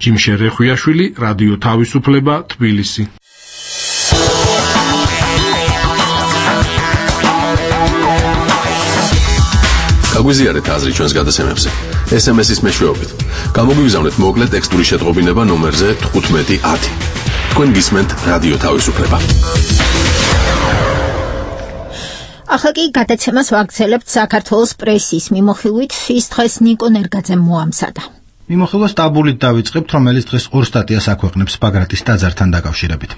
ჯიმშე რეხვიაშვილი, რადიო თავისუფლება, თბილისი. გაგვიზიარეთ აზრი ჩვენს გადაცემებზე. SMS-ის მეშვეობით. გამოგვიგზავნეთ მოკლე ტექსტური შეტყობინება ნომერზე 1510. თქვენ გისმენთ რადიო თავისუფლება. ახლა კი გადაცემას ვაგრძელებთ საქართველოს პრესის მიმოხილვით. ის დღეს ნიკო ნერგაძემ მოამზადა. მიმოხილვა სტაბილით დავიწყებთ, რომელიც დღეს 2 სტატიას აქვეყნებს ბაგრატის ტაძართან დაკავშირებით.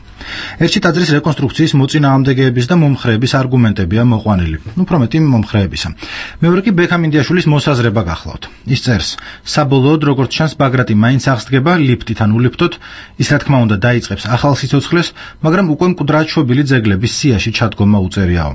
ერთი ტაძრის რეკონსტრუქციის მოწინააღმდეგეების და მომხრეების არგუმენტებია მოყვანილი, უფრო მეტი მომხრეებისა. მეორე კი ბექამინდიაშვილის მოსაზრება გახლავთ. ის წერს: საბოლოოდ, როგორც ჩანს, ბაგრატი მაინც აღსდგება ლიფტით ან ულიფტოთ, ის რა თქმა უნდა დაიწყებს ახალ სიცოცხლეს, მაგრამ უკვე მკვდრად შობილი ძეგლების სიაში ჩადგომა უწერიაო.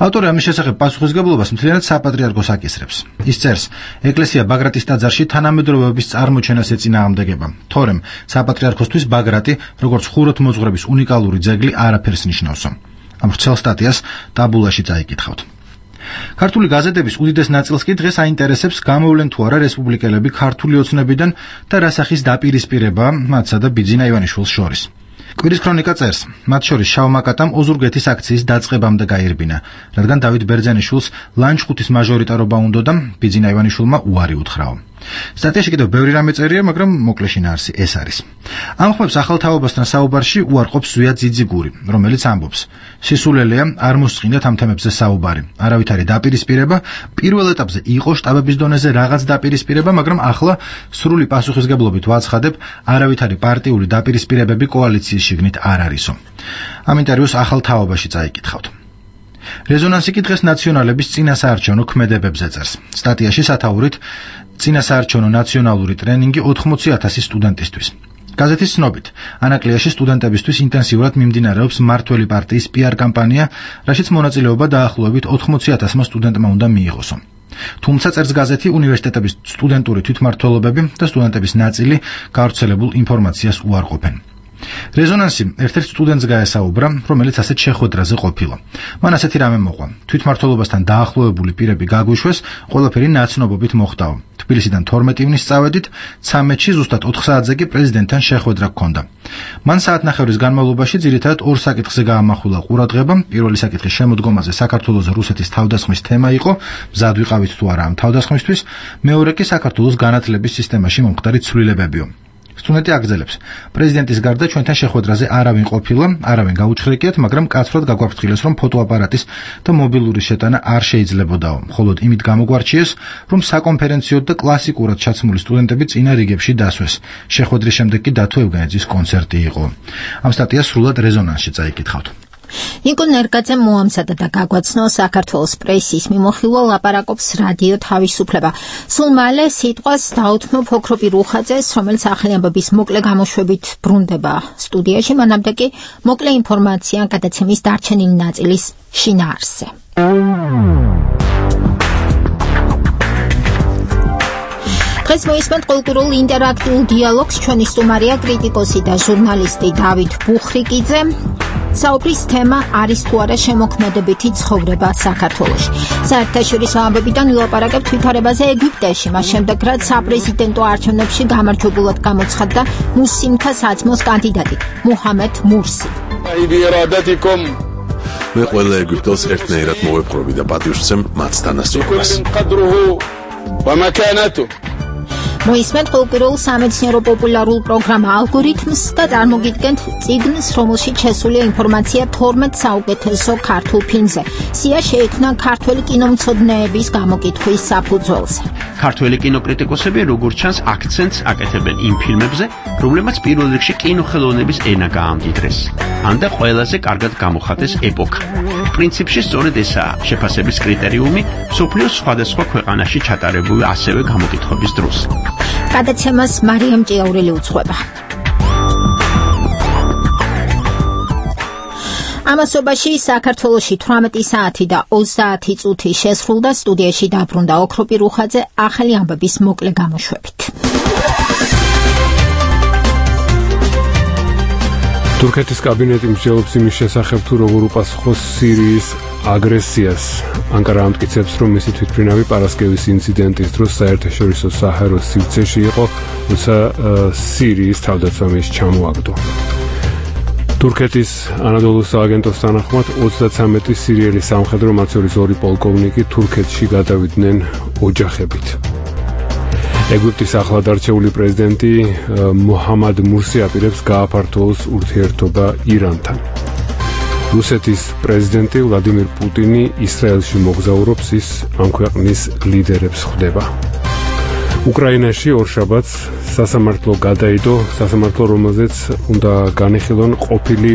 ავტორი ამის შესახებ პასუხისგებლობას მთლიანად საპატრიარქოს აკისრებს. ის წერს: ეკლესია ბაგრატის ტაძარში თანამედროვეობის წარმოჩენას ეწინააღმდეგება, თორემ საპატრიარქოსთვის ბაგრატი, როგორც ხუროთმოძღვრების უნიკალური ძეგლი, არაფერს ნიშნავსო. ამ ვრცელ სტატიას ტაბულაში წაიკითხავთ. ქართული გაზეთების უდიდეს ნაწილს კი დღეს აინტერესებს, გამოვლენ თუ არა რესპუბლიკელები ქართული ოცნებიდან და რა სახის დაპირისპირება მათსა და ბიძინა ივანიშვილს შორის. კვირის ქრონიკა წერს: მათ შორის შავმაკატამ ოზურგეთის აქციის დაწყებამდე გაირბინა, რადგან დავით ბერძენიშვილს ლანჩხუთის მაჟორიტარობა უნდა და ბიძინა ივანიშვილმა უარი უთხრაო. სტატიაში კიდევ ბევრი რამე წერია, მაგრამ მოკლე შინაარსი ეს არის. ამ ხმებს ახალ თაობასთან საუბარში უარყოფს ზვია ძიძიგური, რომელიც ამბობს: სისულელეა არ მოსწყინდათ ამ თემებზე საუბარი. არავითარი დაპირისპირება, პირველ ეტაპზე იყო შტაბების დონეზე რაღაც დაპირისპირება, მაგრამ ახლა სრული პასუხისგებლობით ვაცხადებ, არავითარი პარტიული დაპირისპირებები კოალიციის შიგნით არ არისო. ამ ინტერვიუს ახალ თაობაში წაიკითხავთ. რეზონანსი კი დღეს ნაციონალების წინასაარჩევნო ქმედებებზე წერს. სტატიაში სათაურით წინასაარჩევნო ნაციონალური ტრენინგი 80,000 სტუდენტისთვის. გაზეთის ცნობით, ანაკლიაში სტუდენტებისთვის ინტენსიურად მიმდინარეობს მმართველი პარტიის PR კამპანია, რაშიც მონაწილეობა დაახლოებით 80,000 სტუდენტმა უნდა მიიღოსო. თუმცა წერს გაზეთი, უნივერსიტეტების სტუდენტური თვითმმართველობები და სტუდენტების ნაწილი გავრცელებულ ინფორმაციას უარყოფენ. რეზონანსი ერთ-ერთ სტუდენტს გაესაუბრა, რომელიც ასეთ შეხვედრაზე ყოფილა. მან ასეთი რამე მოყვა: თვითმმართველობასთან დაახლოებული პირები გაგვიშვეს, ყველაფერი ნაცნობობით მოხდაო. თბილისიდან 12 ივნის წავედით, 13-ში ზუსტად 4 საათზე კი პრეზიდენტთან შეხვედრა გქონდა. მან საათნახევრის განმავლობაში ძირითადად 2 საკითხზე გაამახვილა ყურადღება. პირველი საკითხი შემოდგომაზე საქართველოს რუსეთის თავდასხმის თემა იყო, მზად ვიყავით თუ არა ამ თავდასხმისთვის, მეორე კი საქართველოს განათლების სისტემაში მომხდარი ცვლილებებიო. სტუდენტი აგრძელებს: პრეზიდენტის გარდა ჩვენთან შეხვედრაზე არავინ ყოფილა, არავინ გაუჩხრიკიათ, მაგრამ კაცრად გაგვაფრთხილეს, რომ ფოტოაპარატის და მობილურის შეტანა არ შეიძლებოდაო. მხოლოდ იმით გამოგვარჩიეს, რომ საკონფერენციო და კლასიკურად ჩაცმული სტუდენტები წინა რიგებში დასვეს. შეხვედრის შემდეგ კი დათო ევგენიძის კონცერტი იყო. ამ სტატიას სრულად რეზონანსში წაიკითხავთ. ნიკო ნერგაძემ მოამზადა და გაგვაცნო საქართველოს პრესის მიმოხილვა ლაპარაკობს რადიო თავისუფლება. სულ მალე სიტყვას დაუთმობ ოქროპირ უხაძეს, რომელიც ახალი ამბების მოკლე გამოშვებით ბრუნდება სტუდიაში, მანამდე კი მოკლე ინფორმაცია გადაცემის დარჩენილი ნაწილის შინაარსზე. დღეს მოისმენთ კულტურულ ინტერაქტიულ დიალოგს. ჩვენი სტუმარია კრიტიკოსი და ჟურნალისტი დავით ბუხრიკიძე. საუბრის თემა არის თუ არა შემოქმედებითი ცხოვრება საქართველოში. საერთაშორისო ამბებიდან ვილაპარაკებთ ვითარებაზე ეგვიპტეში, მას შემდეგ რაც საპრეზიდენტო არჩევნებში გამარჯვებულად გამოცხადდა მუსლიმთა საძმოს კანდიდატი მუჰამედ მურსი. მე ყველა ეგვიპტელს ერთნაირად მოვეპყრობი და პატივს ვცემ მათ თანასწორობას. მოისმენთ ყოველკვირეულ სამეცნიერო პოპულარულ პროგრამა ალგორითმს და წარმოგიდგენთ წიგნს, რომელშიც შესულია ინფორმაცია 12 საუკეთესო ქართულ ფილმზე. სია შეიქმნა ქართველი კინომცოდნეების გამოკითხვის საფუძველზე. ქართველი კინოკრიტიკოსები როგორც ჩანს აქცენტს აკეთებენ იმ ფილმებზე, რომლებმაც პირველ რიგში კინოხელოვნების ენა გაამდიდრეს. ან და ყველაზე კარგად გამოხატეს ეპოქა. პრინციპში სწორედ ესაა შეფასების კრიტერიუმი მსოფლიოს სხვადასხვა ქვეყანაში ჩატარებული ასევე გამოკითხების დროს. გადაცემას მარიამ ჭიაურელი უძღვება. ამასობაში საქართველოში 18 საათი და 30 წუთი შესრულდა, სტუდიაში დაბრუნდა ოქროპი რუხაძე ახალი ამბების მოკლე გამოშვებით. თურქეთის კაბინეტი მსჯელობს იმის შესახებ, თუ როგორ უპასუხოს სირიის აგრესიას. ანკარა ამტკიცებს, რომ მისი თვითმფრინავი პარასკევის ინციდენტის დროს საერთაშორისო საჰაერო სივრცეში იყო, როცა სირიის თავდაცვა ჩამოაგდო. თურქეთის ანადოლუს სააგენტოს თანახმად 33 სირიელი სამხედრო, მათ შორის 2 პოლკოვნიკი თურქეთში გადავიდნენ ოჯახებით. ეგვიპტის ახლად არჩეული პრეზიდენტი მოჰამად მურსი აპირებს გააფართოოს ურთიერთობა ირანთან. რუსეთის პრეზიდენტი ვლადიმირ პუტინი ისრაელში მოგზაურობს, ის ამ ქვეყნის ლიდერებს ხვდება. უკრაინაში ორშაბათს სასამართლო გადაიდო, სასამართლო, რომელზეც უნდა განიხილონ ყოფილი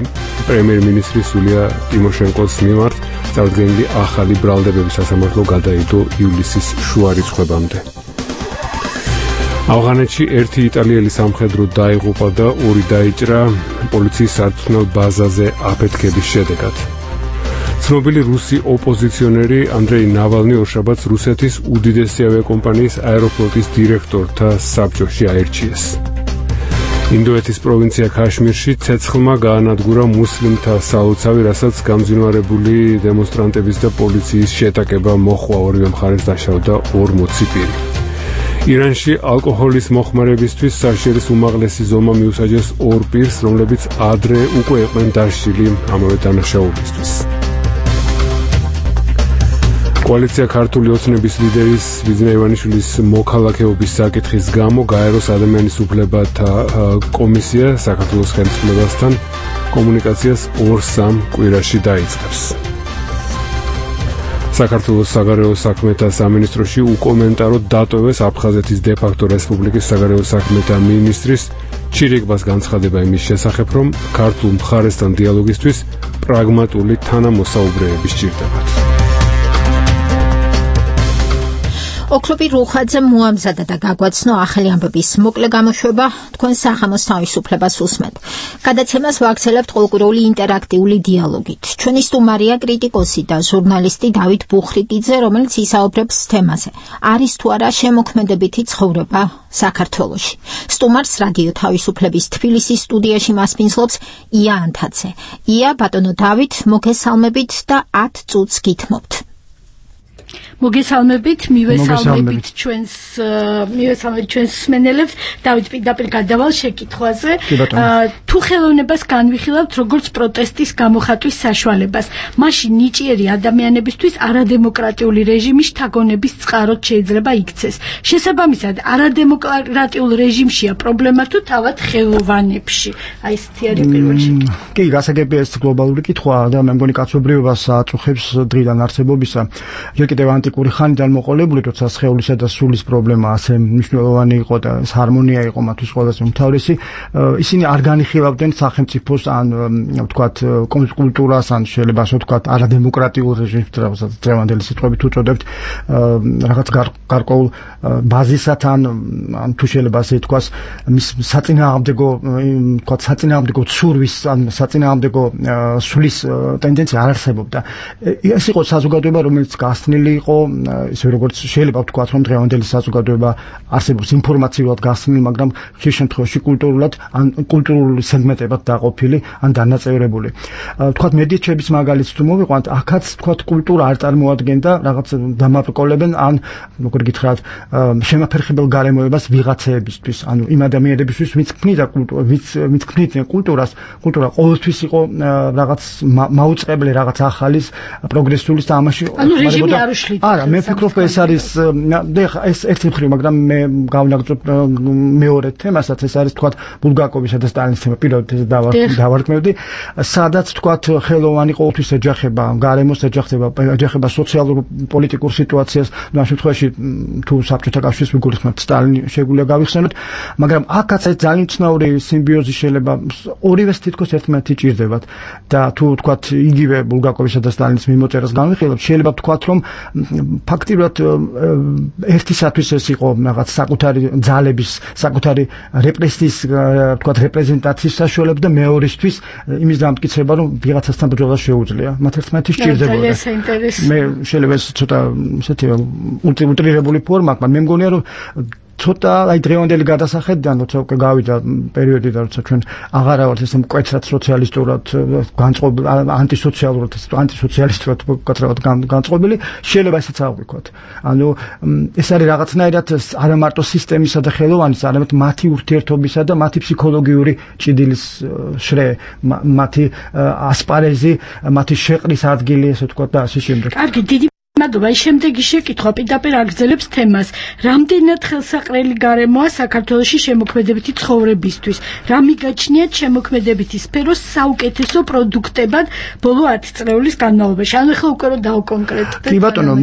პრემიერ-მინისტრის იულია ტიმოშენკოს მიმართ წარდგენილი ახალი ბრალდებები. სასამართლო გადაიდო ივლისის შუა რიცხვებამდე. ავღანეთში 1 იტალიელი სამხედრო დაიღუპა და 2 დაიჭრა პოლიციის სარწმუნო ბაზაზე აფეთქების შედეგად. ცნობილი რუსი ოპოზიციონერი ანდრეი ნავალნი ორშაბათს რუსეთის უდიდესი ავიაკომპანიის აეროფლოტის დირექტორთა საბჭოში აირჩიეს. ინდოეთის პროვინცია ქაშმირში ცეცხლმა გაანადგურა მუსლიმთა სალოცავი, რასაც გამძინვარებული დემონსტრანტების და პოლიციის შეტაკება მოჰყვა, ორივე მხარეს დაშავდა 40 პირი. ირანში ალკოჰოლის მოხმარებისთვის საშერის უმაღლესი ზომა მიუსაჯეს 2 პირს, რომლებიც ადრე უკვე იყვნენ დასჯილი ამავე დანაშაულისთვის. კოალიცია ქართული ოცნების ლიდერის ბიძინა ივანიშვილის მოქალაქეობის საკითხის გამო გაეროს ადამიანის უფლებათა კომისია საქართველოს ხელისუფლებასთან კომუნიკაციას 2-3 კვირაში დაიწყებს. საქართველოს საგარეო საქმეთა სამინისტროში უკომენტაროდ დატოვეს აფხაზეთის დე-ფაქტო რესპუბლიკის საგარეო საქმეთა მინისტრის ჩირიგბას განცხადება იმის შესახებ, რომ ქართულ მხარესთან დიალოგისთვის პრაგმატული თანამოსაუბრეები სჭირდებათ. ოქროპი რუხაძე მოამზადა და გაგვაცნო ახალი ამბების მოკლე გამოშვება, თქვენ საღამოს თავისუფლებას უსმენთ. გადაცემას ვაგრძელებთ ყოველკვირეული ინტერაქტიული დიალოგით. ჩვენი სტუმარია კრიტიკოსი და ჟურნალისტი დავით ბუხრიკიძე, რომელიც ისაუბრებს თემაზე. არის თუ არა შემოქმედებითი ცხოვრება საქართველოში. სტუმარს რადიო თავისუფლების თბილისის სტუდიაში მასპინძლობს ია ანთაძე. ია, ბატონო დავით, მოგესალმებით და 10 წუთს გითმობთ. მოგესალმებით, მივესალმებით ჩვენს მსმენელებს. დავით, პირდაპირ გადავალ შეკითხვაზე. თუ ხელოვნებას განვიხილავთ როგორც პროტესტის გამოხატვის საშუალებას, მაშინ ნიჭიერი ადამიანებისთვის არადემოკრატიული რეჟიმის შთაგონების წყაროდ შეიძლება იქცეს. შესაბამისად, არადემოკრატიულ რეჟიმშია პრობლემა თუ თავად ხელოვანებში? აი ესეთი არის პირველი შეკითხვა. კი, გასაგებია ეს გლობალური კითხვაა და მე მგონი კაცობრიობას აწუხებს დღიდან არსებობისა. ჯერ კიდევ ანტიკური ხანიდან მოყოლებული, როცა სხეულისა და სულის პრობლემა ასე მნიშვნელოვანი იყო და ეს ჰარმონია იყო მათთვის ყველაზე უმთავრესი, ისინი არ განიხილავდნენ სახელმწიფოს ან ვთქვათ კულტურას, ან შეიძლება ასე ვთქვათ არადემოკრატიულ რეჟიმს, რასაც დღევანდელი სიტყვებით უწოდებთ, რაღაც გარკვეულ ბაზისად ან თუ შეიძლება ასე ვთქვას, მის საწინააღმდეგო, ვთქვათ საწინააღმდეგო ცურვის ან საწინააღმდეგო სულის ტენდენცია არ არსებობდა. ეს იყო საზოგადოება, რომელიც გასწნილი იყო, ისე როგორც შეიძლება ვთქვათ, რომ დღევანდელი საზოგადოება არსებობს ინფორმაციულად გასწნილი, მაგრამ ხშირ შემთხვევაში კულტურულად ან კულტურული სეგმენტებად დაყოფილი ან დანაწევრებული. ვთქვათ, მედიჩების მაგალითს თუ მოვიყვანთ, აქაც ვთქვათ კულტურა არ წარმოადგენდა რაღაც დამაბრკოლებენ ან როგორ გითხრათ, შემაფერხებელ გარემოებას ვიღაცეებისთვის, ანუ იმ ადამიანებისთვის, ვინც ქმნიდა კულტურას, ვინც ქმნიდნენ კულტურას, კულტურა ყოველთვის იყო რაღაც მაუწყებლე, რაღაც ახალის, პროგრესულის და ამაში ანუ რეჟიმი არ უშლით არა, მე ვფიქრობ ეს არის ეს ერთი მხრივ, მაგრამ მე გავნაგრძობ მეორე თემასაც, ეს არის თქვათ ბულგაკოვისა და სტალინის თემა, პირდაპირ ეს დავარქმევდი, სადაც თქვათ ხელოვანი ყოველთვის ეჯახება გარემოს, ეჯახება სოციალურ პოლიტიკურ სიტუაციას, ამ შემთხვევაში თუ საბჭოთა კავშირის ვიგულისხმებთ სტალინი შეგვიძლია გავიხსენოთ, მაგრამ აქაც ეს ძალიან ცნაური სიმბიოზი შეიძლება ორივეს თითქოს ერთმანეთი ჭირდებათ და თუ თქვათ იგივე ბულგაკოვისა და სტალინის მიმოწერას განვიხილოთ, შეიძლება ვთქვათ, რომ ფაქტიურად ერთისათვის ეს იყო რაღაც საკუთარი ძალების, საკუთარი რეპრესიის, ვთქვათ, რეპრეზენტაციის საშუალება და მეორისთვის იმის დამტკიცება, რომ ვიღაცასთან ბრძოლა შეუძლია. მათ ერთმანეთის ჭირდებოდა. მე შეიძლება ეს ცოტა ისეთი უტრირებული ფორმა, მაგრამ მე მგონია, რომ ცოტა აი დღევანდელი გადასახედიდან როცა უკვე გავიდა პერიოდი და როცა ჩვენ აღარა ვართ ესე მკვეთრად სოციალისტურად განწყობილი ანტისოციალისტურად კაცრავად განწყობილი შეიძლება ესეც ავიქვათ. ანუ ეს არის რაღაცნაირად არა მარტო სისტემისა და ხელოვანის, არამედ მათი ურთიერთობისა და მათი ფსიქოლოგიური ჭიდილის შრე, მათი ასპარეზი, მათი შეყრის ადგილი, ესე ვთქვათ და ასე შემდეგ. კარგი, დიდი მადლობა. შემდეგი შეკითხვა პირდაპირ აგრძელებს თემას. რამდენად ხელსაყრელი გარემოა საქართველოში შემოქმედებითი ცხოვრებისთვის? რა მიგაჩნიათ შემოქმედებითი სფეროს საუკეთესო პროდუქტებად ბოლო 10 წლეულის განმავლობაში? ანუ ახლა უკვე რომ დავკონკრეტდეთ. კი ბატონო,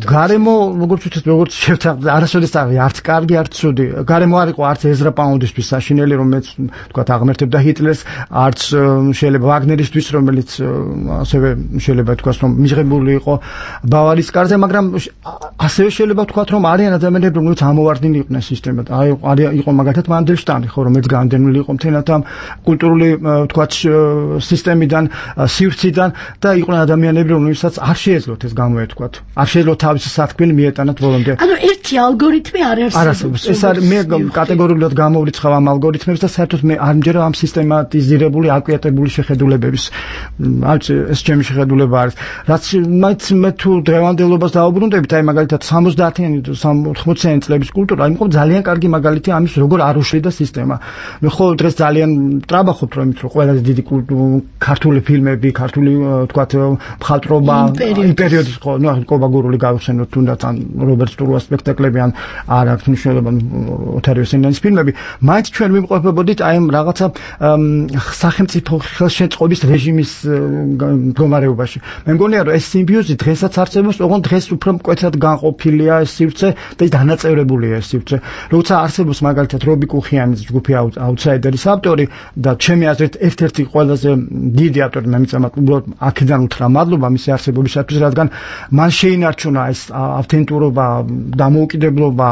გარემო, როგორც ვთქვით, როგორც შევთანხმდით, არასოდეს არც კარგი, არც ცუდი. გარემო არ იყო არც ეზრა პაუნდისთვის საშინელი, რომელიც ვთქვათ აღმერთებდა ჰიტლერს, არც შეიძლება ვაგნერისთვის, რომელიც ასევე შეიძლება თქვას, რომ მიღებული იყო ბავარის კარზე, მაგრამ ასევე შეიძლება ვთქვათ, რომ არიან ადამიანები, რომლებიც ამოვარდნილი იყვნენ სისტემად. იყო მაგალითად მანდელშტამი, ხო, რომელიც განდევნილი იყო მთლიანად ამ კულტურული ვთქვათ სისტემიდან, სივრციდან და იყვნენ ადამიანები, რომლებსაც არ შეეძლოთ ეს გამოეთქვათ. არ შეეძლოთ თავისი სათქმელი მიეტანათ ბოლომდე. ანუ ერთი ალგორითმი არ არსებობს. ეს არის მე კატეგორიულად გამოვრიცხავ ამ ალგორითმებს და საერთოდ მე არ მჯერა ამ სისტემატიზირებული, აკვიატებული შეხედულებების. ეს ჩემი შეხედულება არის. რაც მე თუ დღევანდელობას დაუბრუნდებით, აი მაგალითად 70-იანი 80-იანი წლების კულტურა, აი მყავს ძალიან კარგი მაგალითი ამის, როგორ არ უშლიდა სისტემა. მე ხო დღეს ძალიან ტრაბახობ რომ ყველაზე დიდი ქართული ფილმები, ქართული თქვათ მხატვრობა, იმპერიოდის ხო, ნუ კობა გურული გავხსენოთ თუნდაც ან რობერტ სტურუას სპექტაკლები ან არ აქვს მნიშვნელობა ოთარ იოსელიანის ფილმები, მაინც ჩვენ ვიმყოფებოდით აი ამ რაღაცა სახელმწიფო ხელშეწყობის რეჟიმის მდგომარეობაში. მე მგონია რომ ეს სიმბიოზი დღესაც არსებობს, ოღონდ დღეს უფრო მკვეთრად განყოფილია ეს სივრცე და დანაწევრებულია ეს სივრცე. როცა არსებობს მაგალითად რობი კუხიანის ჯგუფი აუთსაიდერის ავტორი და ჩემი აზრით ერთ-ერთი ყველაზე დიდი ავტორი, მე მიწამათ უბრალოდ აქედან უთხრა მადლობა მისი არსებობისათვის, რადგან მან შეინარჩუნა ეს ავთენტურობა, დამოუკიდებლობა,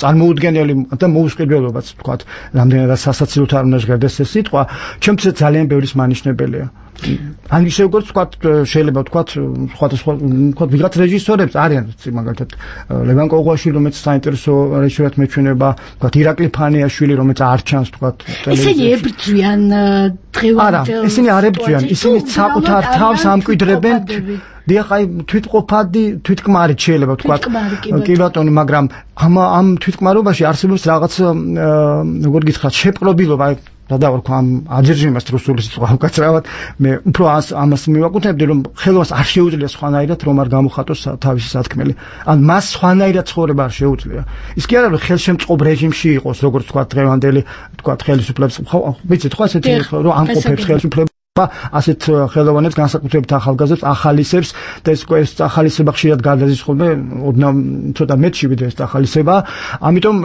წარმოუდგენელი და მოუსყიდველობაც ვთქვათ, რამდენადაც სასაცილოდ არ უნდა ჟღერდეს ეს სიტყვა, ჩემთვის ძალიან ბევრის მანიშნებელია. ან ისე როგორც ვთქვათ, შეიძლება ვთქვათ, სხვადასხვა ვთქვათ ვიღაც რეჟისორებს არიან, მაგალითად ლევან კოღუაშვილი, რომელიც საინტერესო რეჟისორად მეჩვენება, ვთქვათ ირაკლი ფანიაშვილი, რომელიც არ ჩანს ვთქვათ ტელევიზიაში. ისინი ებრძვიან დღევანდელ. არა, ისინი არ ებრძვიან, ისინი საკუთარ თავს ამკვიდრებენ. დიახ, აი თვითყოფადი, თვითკმარით შეიძლება ვთქვათ. კი ბატონო, მაგრამ ამ თვითკმარობაში არსებობს რაღაც როგორ გითხრათ, შეპყრობილობა, აი გადავარქვა ამ აჯერჟიმას რუსული სიტყვა უკაცრავად, მე უფრო ამას მივაკუთვნებდი, რომ ხელობას არ შეუძლია სხვანაირად რომ არ გამოხატოს თავისი სათქმელი. ან მას სხვანაირად ცხოვრება არ შეუძლია. ის კი არა რომ ხელშემწყობ რეჟიმში იყოს, როგორც თქვა დღევანდელი, თქვა ხელისუფლების, ვიცით ხო ასეთი რომ ამყოფებს ხელისუფლებას ასეთ ხელოვანებს განსაკუთრებით ახალგაზრდებს ახალისებს და ეს ახალისება ხშირად გადადის ხოლმე ოდნავ ცოტა მეტში ვიდრე ეს ახალისება. ამიტომ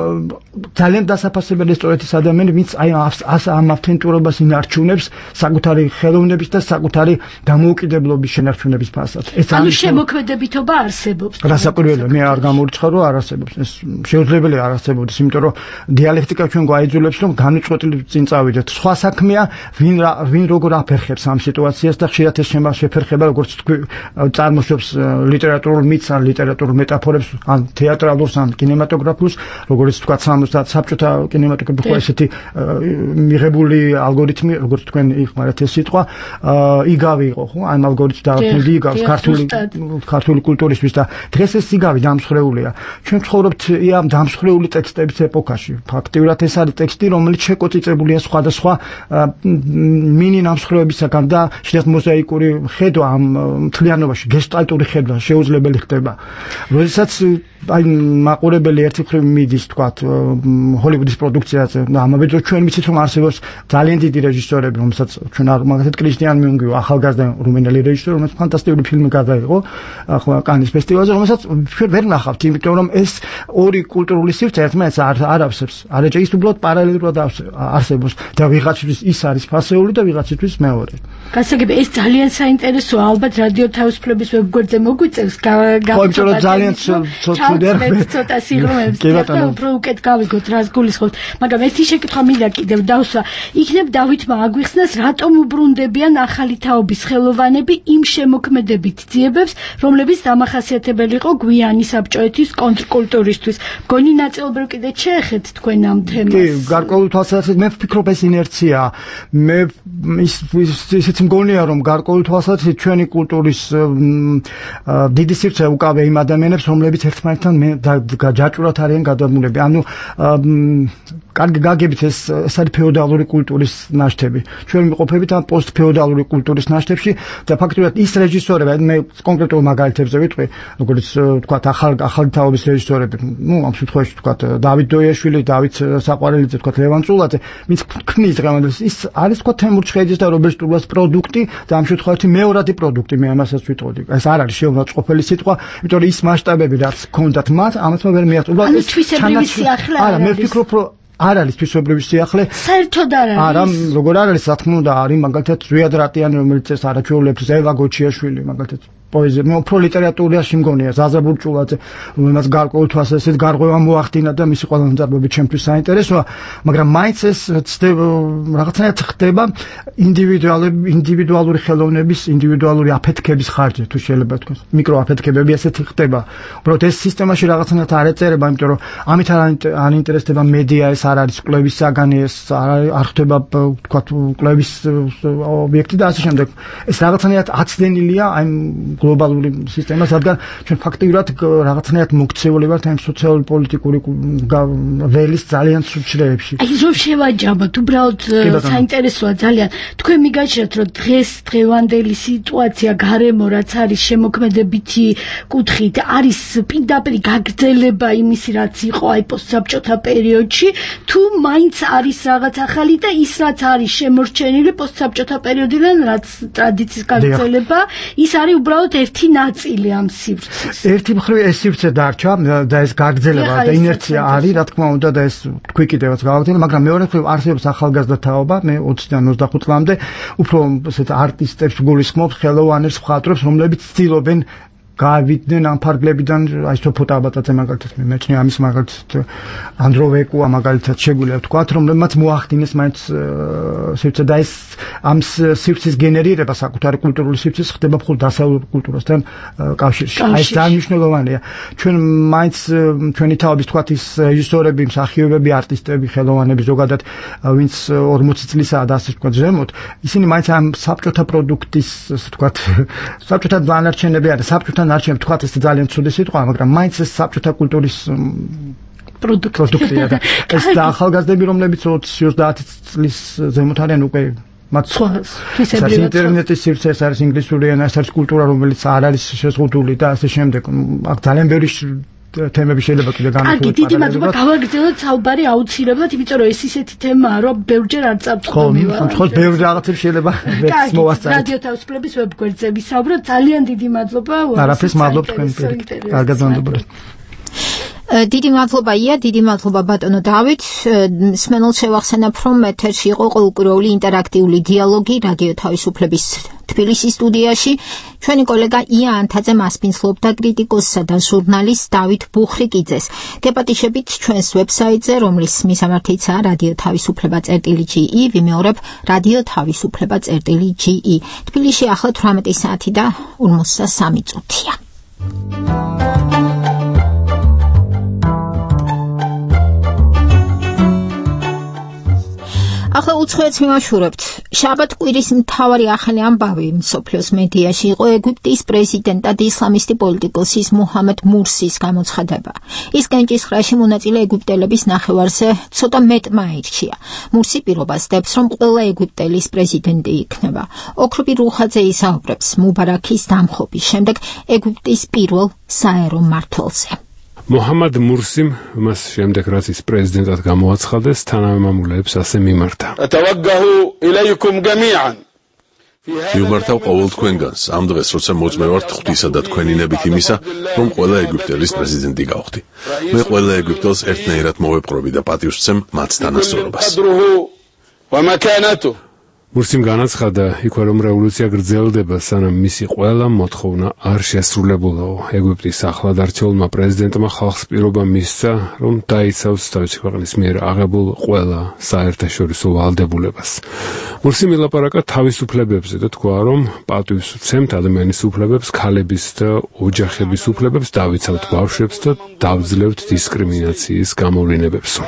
ძალიან დასაფასებელი სწორედ ის ადამიანი, ვინც აი ამ ავთენტურობას ინარჩუნებს საკუთარი ხელოვნების და საკუთარი დამოუკიდებლობის შენარჩუნების ფასად. ანუ შემოქმედებითობა არსებობს. რასაკვირველია, მე არ გამორიცხავ რომ არ არსებობს. ეს შეუძლებელია არ არსებობდეს, იმიტომ რომ დიალექტიკა ჩვენ გვაიძულებს რომ განუწყვეტლივ წინ წავიდეთ. სხვა საქმეა ვინ როგორ აფერხებს ამ სიტუაციას და ხშირად ეს შეფერხება, როგორც თქვი, წარმოშობს ლიტერატურულ მითს ან ლიტერატურულ მეტაფორებს, ან თეატრალურს, ან კინემატოგრაფიულს, როგორც თქვა საბჭოთა კინემატოგრაფია ხო ესეთი მიღებული ალგორითმი, როგორც თქვენ იხმარეთ ეს სიტყვა, იგავი იყო ხო, ამ ალგორითმს დაარქმევდი იგავს ქართული კულტურისთვის და დღეს ეს იგავი დამსხვრეულია. ჩვენ ვცხოვრობთ ამ დამსხვრეული ტექსტების ეპოქაში. ფაქტიურად ეს არის ტექსტი, რომელიც შეკოწიწებულია სხვადასხვა მინი ნამსხვრევების ჭრებისაგან და შეიძლება მოზაიკური ხედვა ამ მთლიანობაში გესტალტური ხედვა შეუძლებელი ხდება. როდესაც აი მაყურებელი ერთი მხრივ მიდის თქვათ ჰოლივუდის პროდუქციაზე და ამავე დროს ჩვენ ვიცით რომ არსებობს ძალიან დიდი რეჟისორები რომელსაც ჩვენ მაგალითად კრისტიან მიუნგი ახალგაზრდა რუმინელი რეჟისორი რომელიც ფანტასტიკური ფილმი გადაიღო ახლა კანის ფესტივალზე რომელსაც ჩვენ ვერ ნახავთ იმიტომ რომ ეს ორი კულტურული სივრცე ერთმანეთს არ ავსებს არაჭა ის უბრალოდ პარალელურად არსებობს და ვიღაცისთვის ის არის ფასეული და ვიღაცისთვის მეორე გასაგები ეს ძალიან საინტერესოა ალბათ რადიო თავისუფლების ვებგვერდზე მოგვიწევს გავიწევთ ძალიან ცოტა სიღრმეებს და უფრო უკეთ გავიგოთ რას გულისხმობთ მაგრამ ერთი შეკითხვა მინდა კიდევ დავსვა იქნებ დავითმა აგვიხსნას რატომ უბრუნდებიან ახალი თაობის ხელოვანები იმ შემოქმედებით ძიებებს რომლებიც დამახასიათებელი იყო გვიანი საბჭოეთის კონტრკულტურისთვის მგონი ნაწილობრივ კიდე შეეხეთ თქვენ ამ თემას კი გარკვეულ თვალსაზრისით მე ვფიქრობ ეს ინერცია მე ისიც მგონია რომ გარკვეულ თვალსაზრისით ჩვენი კულტურის დიდი სივრცე უკავია იმ ადამიანებს რომლებიც ერთმანეთთან ჯაჭვურად არიან გადაბმულები ანუ კარგი გაგებით ეს არის ფეოდალური კულტურის ნაშთები ჩვენ ვიმყოფებით ამ პოსტფეოდალური კულტურის ნაშთებში და ფაქტობრივად ის რეჟისორები მე კონკრეტულ მაგალითებზე ვიტყვი როგორც თქვათ ახალი თაობის რეჟისორები ნუ ამ შემთხვევაში თქვათ დავით დოიაშვილი დავით საყვარელიძე თქვათ ლევან წულაძე ვინც ქმნის დღევანდელს ის არის თქვათ თემურ ჩხეიძის და რობერტ სტურბას პროდუქტი და ამ შემთხვევაში მეორადი პროდუქტი მე ამასაც ვიტყოდი ეს არ არის შეუნაწყყოფელი სიტყვა იმიტომ რომ ის მასშტაბები რაც ჰქონდათ მათ ამათმა ვერ მიაღწია ანუ თვისებრივი სიახლე არა მე ვფიქრობ რომ არ არის თვისებრივი სიახლე საერთოდ არ არის არა როგორ არ არის რა თქმა უნდა არის მაგალითად ზვიად რატიანი რომელიც ეს არაჩვეულებს ევა გოჩიაშვილი მაგალითად პოეზია მე უფრო ლიტერატურაში მგონია ზაზაბურ ჭულაძე რომელმაც გარკვეულ თვალსაზრისით გარღვევა მოახდინა და მისი ყველა მძარბები ჩემთვის საინტერესოა მაგრამ მაინც ეს რაღაცნაირად ხდება ინდივიდუალური ხელოვნების ინდივიდუალური აფეთქების ხარჯზე თუ შეიძლება თქვა მიკროაფეთქებები ესეთი ხდება უბრალოდ ეს სისტემაში რაღაცნაირად არ ეწერება იმიტომ რომ ამით არ ინტერესდება მედია ეს არ არის კვლევის საგანი ეს არ ხდება თქვა კვლევის ობიექტი და ასე შემდეგ ეს რაღაცნაირად აცდენილია აი გლობალური სისტემა, რადგან ჩვენ ფაქტიურად რაღაცნაირად მოქცეული ვართ ამ სოციალური პოლიტიკური ველის ძალიან სულ ჩრეებში. აი რომ შევაჯამოთ, უბრალოდ საინტერესოა ძალიან. თქვენ მიგაჩნიათ, რომ დღევანდელი სიტუაცია გარემო რაც არის შემოქმედებითი კუთხით, არის პირდაპირ გაგრძელება იმისი რაც იყო აი პოსტსაბჭოთა პერიოდში, თუ მაინც არის რაღაც ახალი და ის რაც არის შემორჩენილი პოსტსაბჭოთა პერიოდიდან, რაც ტრადიციის გაგრძელება, ის არის უბრალოდ ერთი ნაწილი ამ სივრცის. ერთი მხრივ ეს სივრცე დარჩა და ეს გაგრძელება და ინერცია არის, რა თქმა უნდა და ეს თქვი კიდევაც გავაგრძელებ, მაგრამ მეორე მხრივ არსებობს ახალგაზრდა თაობა, მე 20-დან 25 წლამდე უფრო ესეთ არტისტებს გულისხმობ, ხელოვანებს, მხატვრებს, რომლებიც ცდილობენ გავიდნენ ამ ფარგლებიდან აი სოფოტა აბატაძე მაგალითად მეჩნია ამის მაგალითად ანდროვეკუა მაგალითად შეგვიძლია ვთქვათ რომლებმაც მოახდინეს მაინც სივრცე და ეს ამ სივრცის გენერირება საკუთარი კულტურული სივრცის ხდება მხოლოდ დასავლურ კულტურასთან კავშირში აი ეს ძალიან მნიშვნელოვანია ჩვენ მაინც ჩვენი თავების ვთქვათ ის რეჟისორები მსახიობები არტისტები ხელოვანები ზოგადად ვინც 40 წლისაა და ასე ვთქვათ ზემოთ ისინი მაინც ამ საბჭოთა პროდუქტის ვთქვათ საბჭოთა დანარჩენები არის საბჭოთა არჩევ თქვათ ეს ძალიან ცუდი სიტყვაა, მაგრამ მაინც ეს საბჭოთა კულტურის პროდუქტია და ეს და ახალგაზრდები, რომლებიც 20-30 წლის ზემოთ არიან უკვე მათ ინტერნეტის სივრცე არის ინგლისური ენა, ეს არის კულტურა, რომელიც არ არის შეზღუდული და ასე შემდეგ. აქ ძალიან ბევრი თემები შეიძლება კიდე განვიხილოთ. კარგი, დიდი მადლობა. გავაგრძელოთ საუბარი აუცილებლად, იმიტომ რომ ეს ისეთი თემაა, რომ ბევრჯერ არ წავწყობივა. ხო, ბევრი რაღაცები შეიძლება ვერც მოვასწროთ. რადიო თავისუფლების ვებგვერდზე ვისაუბროთ. ძალიან დიდი მადლობა. არაფერს მადლობ თქვენ პირით. კარგად მადლობა. დიდი მადლობა ია, დიდი მადლობა ბატონო დავით. მსმენელს შევახსენებ, რომ ეთერში იყო ყოველკვირეული ინტერაქტიული დიალოგი რადიო თავისუფლების თბილისის სტუდიაში. ჩვენი კოლეგა ია ანთაძე მასპინძლობდა კრიტიკოსსა და ჟურნალისტ დავით ბუხრიკიძეს. გეპატიშებით ჩვენს ვებსაიტზე, რომლის მისამართიც რადიო თავისუფლება.ge, ვიმეორებ რადიო თავისუფლება.ge. თბილისში ახლა 18 საათი და 53 წუთია. ახლა უცხოეთს მიმოშურებთ. შაბათ კვირის მთავარი ახალი ამბავი მსოფლიოს მედიაში იყო ეგვიპტის პრეზიდენტად ისლამისტი პოლიტიკოსის მუჰამედ მურსის გამოცხადება. ის განჭისხრაში მონაწილე ეგვიპტელების ნახევარზე ცოტა მეტმა აირჩია. მურსი პირობას დებს, რომ ყველა ეგვიპტელის პრეზიდენტი იქნება. ოქროპი რუხაძე ისაუბრებს მუბარაქის დამხობის შემდეგ ეგვიპტის პირველ საერო მმართველზე. მუჰამედ მურსიმ მას შემდეგ რაც ის პრეზიდენტად გამოაცხადეს, თანავე მამულეებს ასე მიმართა. მივმართავ ყოველ თქვენგანს ამ დღეს, როცა მოწმე ვართ ღვთისა და თქვენი ნებით იმისა, რომ ყველა ეგვიპტელის პრეზიდენტი გავხდი. მე ყველა ეგვიპტელს ერთნაირად მოვეპყრობი და პატივს ვცემ მათ თანასწორობას. მურსიმ განაცხადა, იქვე რომ რევოლუცია გრძელდება, სანამ მისი ყველა მოთხოვნა არ შესრულებულაო. ეგვიპტის ახლად არჩეულმა პრეზიდენტმა ხალხს პირობა მისცა, რომ დაიცავს თავისი ქვეყნის მიერ აღებულ ყველა საერთაშორისო ვალდებულებას. მურსიმ ილაპარაკა თავისუფლებებზე და თქვა, რომ პატივს ვცემთ ადამიანის უფლებებს, ქალების და ოჯახების უფლებებს, დავიცავთ ბავშვებს და დავძლევთ დისკრიმინაციის გამოვლინებებსო.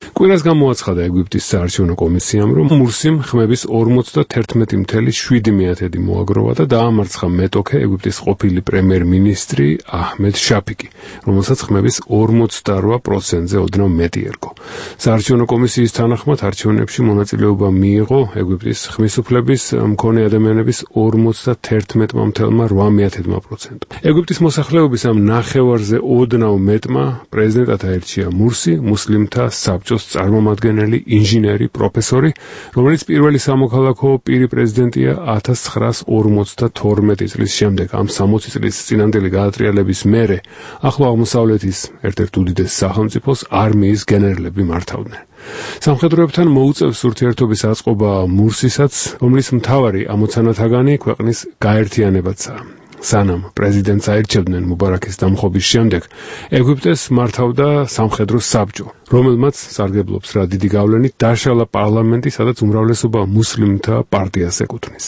კვირას გამოაცხადა ეგვიპტის საარჩევნო კომისიამ, რომ მურსიმ ხმების 51.7% მოაგროვა და დაამარცხა მეტოქე ეგვიპტის ყოფილი პრემიერ-მინისტრი აჰმედ შაფიკი, რომელსაც ხმების 48%-ზე ოდნავ მეტი ერგო. საარჩევნო კომისიის თანახმად არჩევნებში მონაწილეობა მიიღო ეგვიპტის ხმისუფლების მქონე ადამიანების 51.8%. ეგვიპტის მოსახლეობის ამ ნახევარზე ოდნავ მეტმა პრეზიდენტად აირჩია მურსი, მუსლიმთა საბჭოს წარმომადგენელი, ინჟინერი, პროფესორი, რომელიც პირველი სამოქალაქო პირი პრეზიდენტია 1952 წლის შემდეგ. ამ 60 წლის წინანდელი გადატრიალების მერე ახლო აღმოსავლეთის ერთ-ერთ უდიდეს სახელმწიფოს არმიის გენერლები მართავდნენ. სამხედროებთან მოუწევს ურთიერთობის აწყობა მურსისაც, რომლის მთავარი ამოცანათაგანი ქვეყნის გაერთიანებაცაა. სანამ პრეზიდენტს აირჩევდნენ მუბარაქის დამხობის შემდეგ, ეგვიპტეს მართავდა სამხედრო საბჭო, რომელმაც სარგებლობს რა დიდი გავლენით დაშალა პარლამენტი, სადაც უმრავლესობა მუსლიმთა პარტიას ეკუთვნის.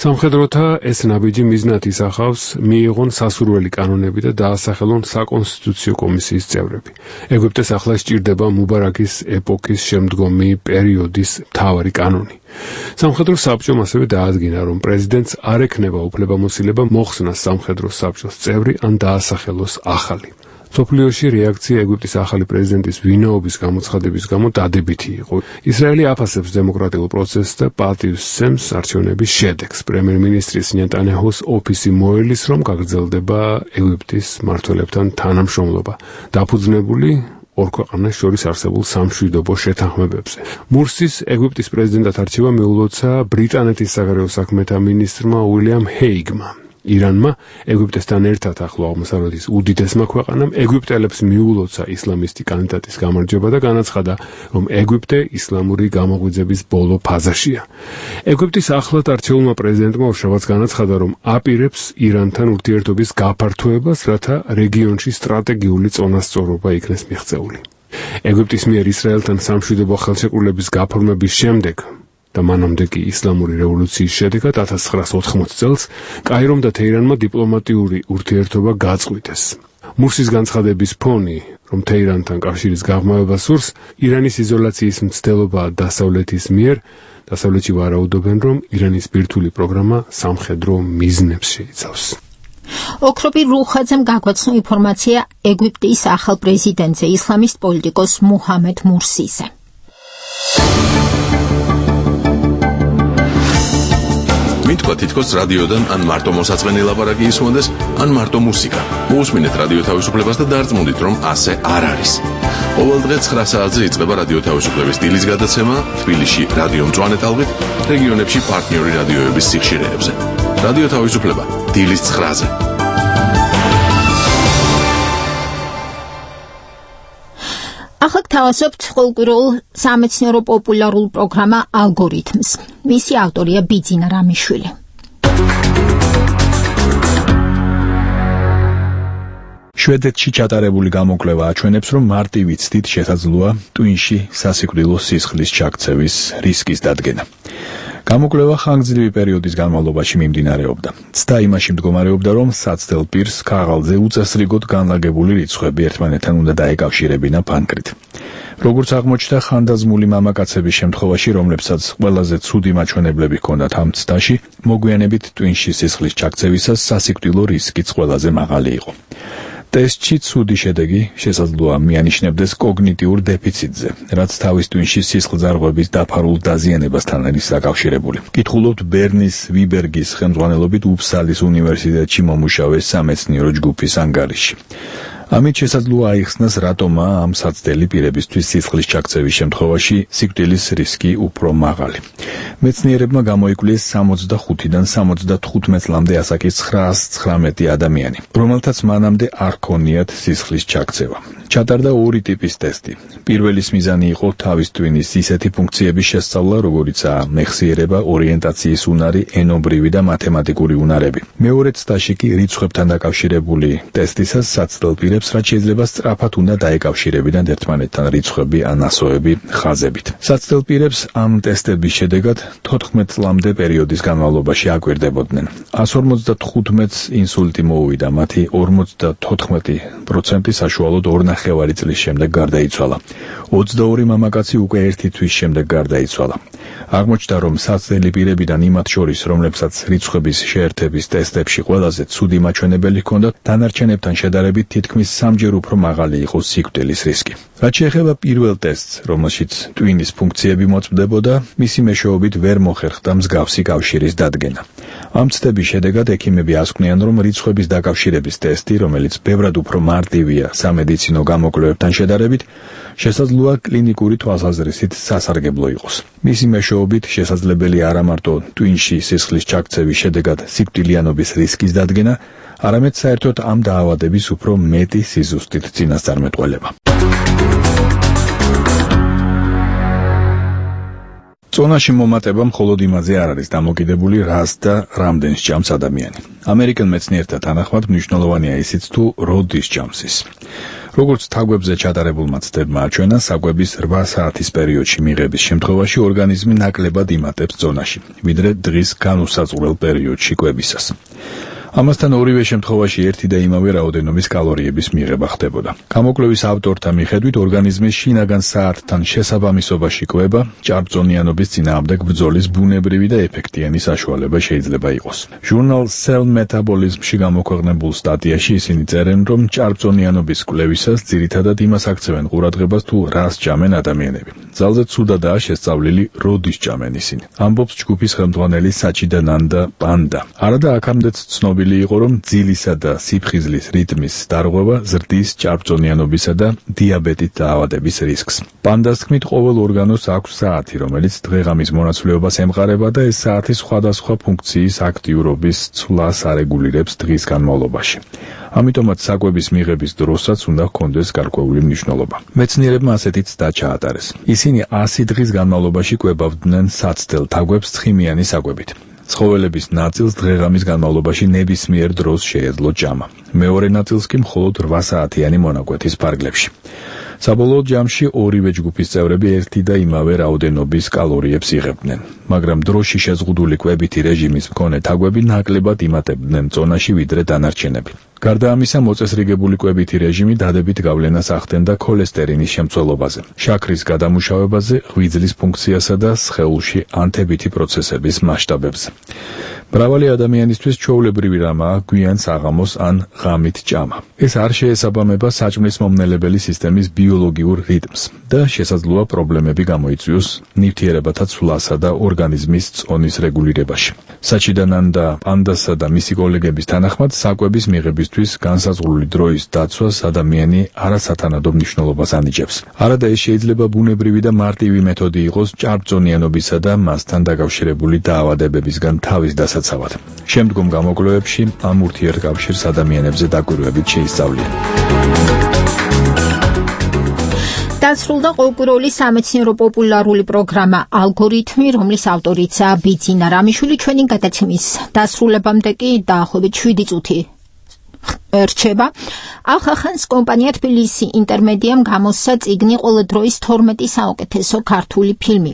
სამხედროთა ეს ნაბიჯი მიზნად ისახავს მიიღონ სასურველი კანონები და დაასახელონ საკონსტიტუციო კომისიის წევრები. ეგვიპტეს ახლა სჭირდება მუბარაქის ეპოქის შემდგომი პერიოდის მთავარი კანონი. სამხედრო საბჭომ ასევე დაადგინა, რომ პრეზიდენტს არ ექნება უფლებამოსილება მოხსნას სამხედრო საბჭოს წევრი ან დაასახელოს ახალი. მსოფლიოში რეაქცია ეგვიპტის ახალი პრეზიდენტის ვინაობის გამოცხადების გამო დადებითი იყო. ისრაელი აფასებს დემოკრატიულ პროცესს და პატივს სცემს არჩევნების შედეგს. პრემიერ-მინისტრის ნეტანიაჰუს ოფისი მოელის, რომ გაგრძელდება ეგვიპტის მმართველებთან თანამშრომლობა, დაფუძნებული ორ ქვეყანას შორის არსებულ სამშვიდობო შეთანხმებებზე. მურსის ეგვიპტის პრეზიდენტად არჩევა მიულოცა ბრიტანეთის საგარეო საქმეთა მინისტრმა უილიამ ჰეიგმა. ირანმა ეგვიპტესთან ერთად ახლო აღმოსავლეთის უდიდესმა ქვეყანამ ეგვიპტელებს მიულოცა ისლამისტი კანდიდატის გამარჯვება და განაცხადა, რომ ეგვიპტე ისლამური გამოღვიძების ბოლო ფაზაშია. ეგვიპტის ახლად არჩეულმა პრეზიდენტმა ორშაბათს განაცხადა, რომ აპირებს ირანთან ურთიერთობის გაფართოებას, რათა რეგიონში სტრატეგიული წონასწორობა იქნეს მიღწეული. ეგვიპტის მიერ ისრაელთან სამშვიდობო ხელშეკრულების გაფორმების შემდეგ და მანამდე კი ისლამური რევოლუციის შედეგად 1980 წელს კაირომ და თეირანმა დიპლომატიური ურთიერთობა გაწყვიტეს. მურსის განცხადების ფონი, რომ თეირანთან კავშირის გაღრმავება სურს, ირანის იზოლაციის მცდელობა დასავლეთის მიერ, დასავლეთში ვარაუდობენ, რომ ირანის ბირთვული პროგრამა სამხედრო მიზნებს შეიცავს. ოქროპი რუხაძემ გაგვაცნო ინფორმაცია ეგვიპტის ახალ პრეზიდენტზე, ისლამისტ პოლიტიკოს მუჰამედ მურსიზე. მითქვა თითქოს რადიოდან ან მარტო მოსაწყენი ლაპარაკი ისმოდეს, ან მარტო მუსიკა. მოусმინეთ რადიო თავისუფლებას და დარწმუნდით, რომ ასე არ არის. ყოველ დღე 9 საათზე იწყება რადიო თავისუფლების დილის გადაცემა თბილისში რადიო მწვანე ტალღით, რეგიონებში პარტნიორი რადიოების სიხშირეებზე. რადიო თავისუფლება დილის 9-ზე. ახლა გთავაზობთ ყოველკვირეულ სამეცნიერო პოპულარულ პროგრამა ალგორითმს. მისი ავტორია ბიძინა რამიშვილი. შვედეთში ჩატარებული გამოკვლევა აჩვენებს, რომ მარტივი ცდით შესაძლოა ტვინში სასიკვდილო სისხლის ჩაქცევის რისკის დადგენა. გამოკვლევა ხანგრძლივი პერიოდის განმავლობაში მიმდინარეობდა. ცდა იმაში მდგომარეობდა, რომ საცდელ პირს ქაღალდზე უწესრიგოდ განლაგებული რიცხვები ერთმანეთთან უნდა დაეკავშირებინა ფანკრით. როგორც აღმოჩნდა, ხანდაზმული მამაკაცების შემთხვევაში, რომლებსაც ყველაზე ცუდი მაჩვენებლები ჰქონდათ ამ ცდაში, მოგვიანებით ტვინში სისხლის ჩაქცევისას სასიკვდილო რისკიც ყველაზე მაღალი იყო. ტესტში ცუდი შედეგი შესაძლოა მიანიშნებდეს კოგნიტიურ დეფიციტზე, რაც თავის ტვინში სისხლძარღვების დაფარულ დაზიანებასთან არის დაკავშირებული. კითხულობთ ბერნის ვიბერგის ხელმძღვანელობით უფსალის უნივერსიტეტში მომუშავე სამეცნიერო ჯგუფის ანგარიში. ამით შესაძლოა აიხსნას, რატომაა ამ საცდელი პირებისთვის სისხლის ჩაქცევის შემთხვევაში სიკვდილის რისკი უფრო მაღალი. მეცნიერებმა გამოიკვლიეს 65-დან 75 წლამდე ასაკის 919 ადამიანი, რომელთაც მანამდე არ ჰქონიათ სისხლის ჩაქცევა. ჩატარდა ორი ტიპის ტესტი. პირველის მიზანი იყო თავის ტვინის ისეთი ფუნქციების შესწავლა, როგორიცაა მეხსიერება, ორიენტაციის უნარი, ენობრივი და მათემატიკური უნარები. მეორე ცდაში კი რიცხვებთან დაკავშირებული ტესტისას საცდელ პირებს რაც შეიძლება სწრაფად უნდა დაეკავშირებინათ ერთმანეთთან რიცხვები ან ასოები ხაზებით. საცდელ პირებს ამ ტესტების შედეგად 14 წლამდე პერიოდის განმავლობაში აკვირდებოდნენ. 155-ს ინსულტი მოუვიდა, მათი 54% საშუალოდ 2.5 წლის შემდეგ გარდაიცვალა. 22 მამაკაცი უკვე 1 თვის შემდეგ გარდაიცვალა. აღმოჩნდა, რომ საცდელი პირებიდან იმათ შორის, რომლებსაც რიცხვების შეერთების ტესტებში ყველაზე ცუდი მაჩვენებელი ჰქონდათ, დანარჩენებთან შედარებით თითქმის 3-ჯერ უფრო მაღალი იყო სიკვდილის რისკი. რაც შეეხება პირველ ტესტს, რომელშიც ტვინის ფუნქციები მოწმდებოდა, მისი მეშვეობით ვერ მოხერხდა მსგავსი კავშირის დადგენა. ამ ცდების შედეგად ექიმები ასკვნიან, რომ რიცხვების დაკავშირების ტესტი, რომელიც ბევრად უფრო მარტივია სამედიცინო გამოკვლევებთან შედარებით, შესაძლოა კლინიკური თვალსაზრისით სასარგებლო იყოს. მისი მეშვეობით შესაძლებელი არა მარტო ტვინში სისხლის ჩაქცევის შედეგად სიკვდილიანობის რისკის დადგენა, არამედ საერთოდ ამ დაავადების უფრო მეტი სიზუსტით წინასწარმეტყველება. წონაში მომატება მხოლოდ იმაზე არ არის დამოკიდებული, რას და რამდენს ჭამს ადამიანი. ამერიკელ მეცნიერთა თანახმად მნიშვნელოვანია ისიც, თუ როდის ჭამს ის. როგორც თაგვებზე ჩატარებულმა ცდებმა აჩვენა, საკვების 8 საათის პერიოდში მიღების შემთხვევაში ორგანიზმი ნაკლებად იმატებს წონაში, ვიდრე დღის განუსაზღვრელ პერიოდში კვებისას. ამასთან ორივე შემთხვევაში ერთი და იმავე რაოდენობის კალორიების მიღება ხდებოდა. გამოკვლევის ავტორთა მიხედვით ორგანიზმის შინაგან საათთან შესაბამისობაში კვება ჭარბწონიანობის წინააღმდეგ ბრძოლის ბუნებრივი და ეფექტიანი საშუალება შეიძლება იყოს. ჟურნალ Cell Metabolism-ში გამოქვეყნებულ სტატიაში ისინი წერენ, რომ ჭარბწონიანობის კვლევისას ძირითადად იმას აქცევენ ყურადღებას, თუ რას ჭამენ ადამიანები. ძალზე ცუდადაა შესწავლილი, როდის ჭამენ ისინი. ამბობს ჯგუფის ხელმძღვანელი საჩიდანანდა პანდა. არადა აქამდეც ცნობილი იყო, რომ ძილისა და სიფხიზლის რიტმის დარღვევა ზრდის ჭარბწონიანობისა და დიაბეტით დაავადების რისკს. პანდას თქმით, ყოველ ორგანოს აქვს საათი, რომელიც დღეღამის მონაცვლეობას ემყარება და ეს საათი სხვადასხვა ფუნქციის აქტიურობის ცვლას არეგულირებს დღის განმავლობაში. ამიტომაც საკვების მიღების დროსაც უნდა ჰქონდეს გარკვეული მნიშვნელობა. მეცნიერებმა ასეთი ცდა ჩაატარეს. ისინი 100 დღის განმავლობაში კვებავდნენ საცდელ თაგვებს ცხიმიანი საკვებით. ცხოველების ნაწილს დღეღამის განმავლობაში ნებისმიერ დროს შეეძლო ჭამა. მეორე ნაწილს კი მხოლოდ 8 საათიანი მონაკვეთის ფარგლებში. საბოლოო ჯამში ორივე ჯგუფის წევრები ერთი და იმავე რაოდენობის კალორიებს იღებდნენ, მაგრამ დროში შეზღუდული კვებითი რეჟიმის მქონე თაგვები ნაკლებად იმატებდნენ წონაში ვიდრე დანარჩენები. გარდა ამისა, მოწესრიგებული კვებითი რეჟიმი დადებით გავლენას ახდენდა ქოლესტერინის შემცველობაზე, შაქრის გადამუშავებაზე, ღვიძლის ფუნქციასა და სხეულში ანთებითი პროცესების მასშტაბებზე. მრავალი ადამიანისთვის ჩვეულებრივი რამაა გვიან საღამოს ან ღამით ჭამა. ეს არ შეესაბამება საჭმლის მომნელებელი სისტემის ბიოლოგიურ რიტმს და შესაძლოა პრობლემები გამოიწვიოს ნივთიერებათა ცვლასა და ორგანიზმის წონის რეგულირებაში. საჩიდანანდა პანდასა და მისი კოლეგების თანახმად, საკვების მიღებისთვის განსაზღვრული დროის დაცვას ადამიანი არასათანადო მნიშვნელობას ანიჭებს. არადა ეს შეიძლება ბუნებრივი და მარტივი მეთოდი იყოს ჭარბწონიანობისა და მასთან დაკავშირებული დაავადებებისგან თავის დასაცავად. შემდგომ გამოკვლევებში ამ ურთიერთკავშირს ადამიანებზე დაკვირვებით შეისწავლიან. დასრულდა ყოველკვირეული სამეცნიერო პოპულარული პროგრამა ალგორითმი, რომლის ავტორიცაა ბიძინა რამიშვილი. ჩვენი გადაცემის დასრულებამდე კი დაახლოებით 7 წუთი რჩება. ახახანს კომპანია თბილისი ინტერმედიამ გამოსცა წიგნი ყველა დროის 12 საუკეთესო ქართული ფილმი.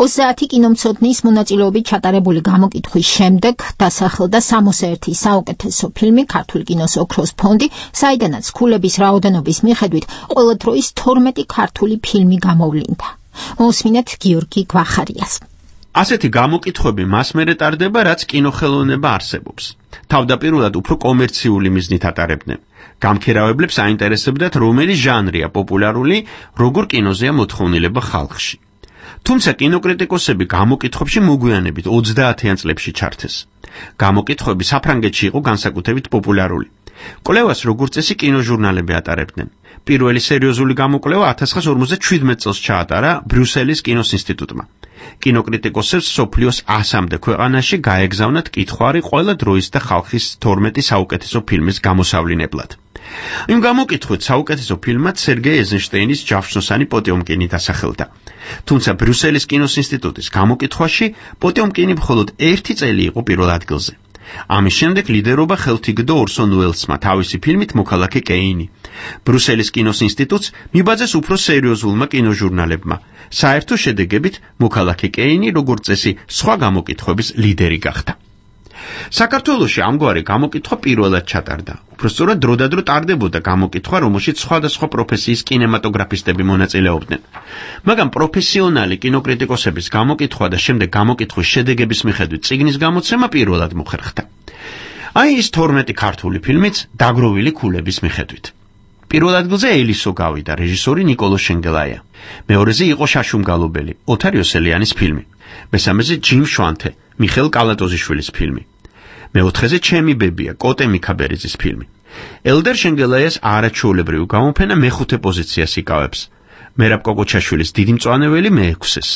30 კინომცოდნის მონაწილეობით ჩატარებული გამოკითხვის შემდეგ დასახელდა 61 საუკეთესო ფილმი ქართული კინოს ოქროს ფონდი, საიდანაც ქულების რაოდენობის მიხედვით ყველა დროის 12 ქართული ფილმი გამოვლინდა. მოусმინეთ გიორგი გვახარიას. ასეთი გამოკითხვები მას მერე ტარდება, რაც კინოხელოვნება არსებობს. თავდაპირველად უფრო კომერციული მიზნით ატარებდნენ. გამქერავებლებს აინტერესებდათ, რომელი ჟანრია პოპულარული, როგორ კინოზეა მოთხოვნილება ხალხში. თუმცა კინოკრიტიკოსები გამოკითხვებში მოგვიანებით 30-იან წლებში ჩართეს. გამოკითხვები საფრანგეთში იყო განსაკუთრებით პოპულარული. კვლევას როგორც წესი კინოჟურნალები ატარებდნენ. პირველი სერიოზული გამოკვლევა 1957 წელს ჩაატარა ბრიუსელის კინოს ინსტიტუტმა. კინოკრიტიკოსებს სოფლიოს 100-მდე ქვეყანაში გაეგზავნათ კითხვარი ყველა დროის და ხალხის 12 საუკეთესო ფილმის გამოსავლინებლად. იმ გამოკითხვით საუკეთესო ფილმად სერგეი ეზენშტეინის ჯავშნოსანი პოტიომკინი დასახელდა. თუმცა ბრიუსელის კინოს ინსტიტუტის გამოკითხვაში პოტიომკინი მხოლოდ 1 წელი იყო პირველ ადგილზე. ამის შემდეგ ლიდერობა ხელთიგდო ორსონ უელსმა თავისი ფილმით მოქალაქე კეინი. ბრიუსელის კინოს ინსტიტუტს მიბაძეს უფრო სერიოზულმა კინოჟურნალებმა. საერთო შედეგებით მოქალაქე კეინი როგორც წესი სხვა გამოკითხვების ლიდერი გახდა. საქართველოში ამგვარი გამოკითხვა პირველად ჩატარდა. უბრალოდ დროდადრო ტარდებოდა გამოკითხვა, რომელშიც სხვადასხვა პროფესიის კინემატოგრაფისტები მონაწილეობდნენ. მაგრამ პროფესიონალი კინოკრიტიკოსების გამოკითხვა და შემდეგ გამოკითხვის შედეგების მიხედვით წიგნის გამოცემა პირველად მოხერხდა. აი ის 12 ქართული ფილმიც დაგროვილი ქულების მიხედვით. პირველ ადგილზე ელისო გავიდა რეჟისორი ნიკოლო შენგელაია. მეორეზე იყო შაშუმგალობელი ოთარ იოსელიანის ფილმი. მესამეზე ჯიმ შვანთე მიხეილ კალატოზიშვილის ფილმი. მეოთხეზე ჩემი ბებია კოტე მიქაბერიძის ფილმი. ელდერ შენგელაიას არაჩვეულებრივი გამოფენა მეხუთე პოზიციას იკავებს. მერაბ კოკოჩაშვილის დიდი მწვანეველი მე-6-ეს.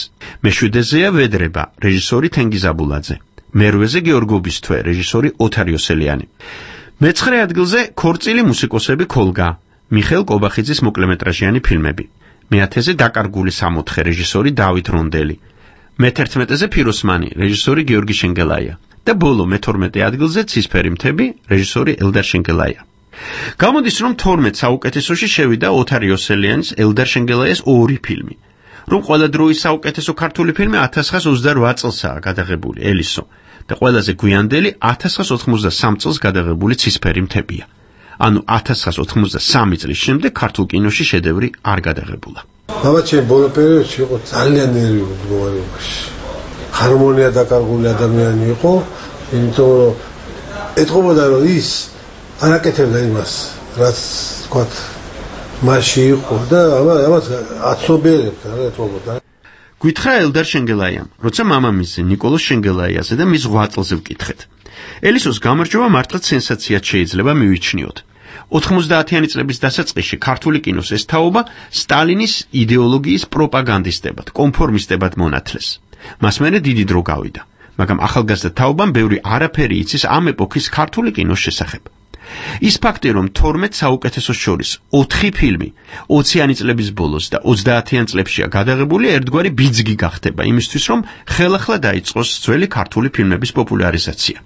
მეშვიდეზეა ვედრება რეჟისორი თენგიზ აბულაძე. მერვეზე გეორგობის თვე რეჟისორი ოთარ იოსელიანი. მეცხრე ადგილზე ქორწილი მუსიკოსები ქოლგა მიხეილ კობახიძის მოკლემეტრაჟიანი ფილმები. მეათეზე დაკარგული სამოთხე რეჟისორი დავით რონდელი. მე-11-ზე ფიროსმანი რეჟისორი გიორგი შენგელაია და ბოლო მე-12 ადგილზე ცისფერი მთები რეჟისორი ელდარ შენგელაია. გამოდის რომ 12 საუკეთესოში შევიდა ოთარ იოსელიანის ელდარ შენგელაიას 2 ფილმი. რომ ყველა დროის საუკეთესო ქართული ფილმი 1928 წელსაა გადაღებული ელისო და ყველაზე გვიანდელი 1983 წელს გადაღებული ცისფერი მთებია. ანუ 1983 წლის შემდეგ ქართულ კინოში შედევრი არ გადაღებულა. მამაჩემ ბოლო პერიოდში იყო ძალიან ნერვიულ მდგომარეობაში. ჰარმონია დაკარგული ადამიანი იყო, იმიტომ რომ ეთყობოდა რომ ის არ აკეთებდა იმას, რაც თქვათ მასში იყო და ამას აცნობიერებდა რა ეთყობოდა. გითხრა ელდარ შენგელაიამ, როცა მამამისზე ნიკოლოს შენგელაიაზე და მის 8 წელზე ვკითხეთ. ელისოს გამარჯვება მართლაც სენსაციად შეიძლება მივიჩნიოთ. 90-იანი წლების დასაწყისში ქართული კინოს ეს თაობა სტალინის იდეოლოგიის პროპაგანდისტებად, კონფორმისტებად მონათლეს. მას მერე დიდი დრო გავიდა, მაგრამ ახალგაზრდა თაობამ ბევრი არაფერი იცის ამ ეპოქის ქართული კინოს შესახებ. ის ფაქტი, რომ 12 საუკეთესოს შორის 4 ფილმი 20-იანი წლების ბოლოს და 30-იან წლებშია გადაღებული, ერთგვარი ბიძგი გახდება იმისთვის, რომ ხელახლა დაიწყოს ძველი ქართული ფილმების პოპულარიზაცია.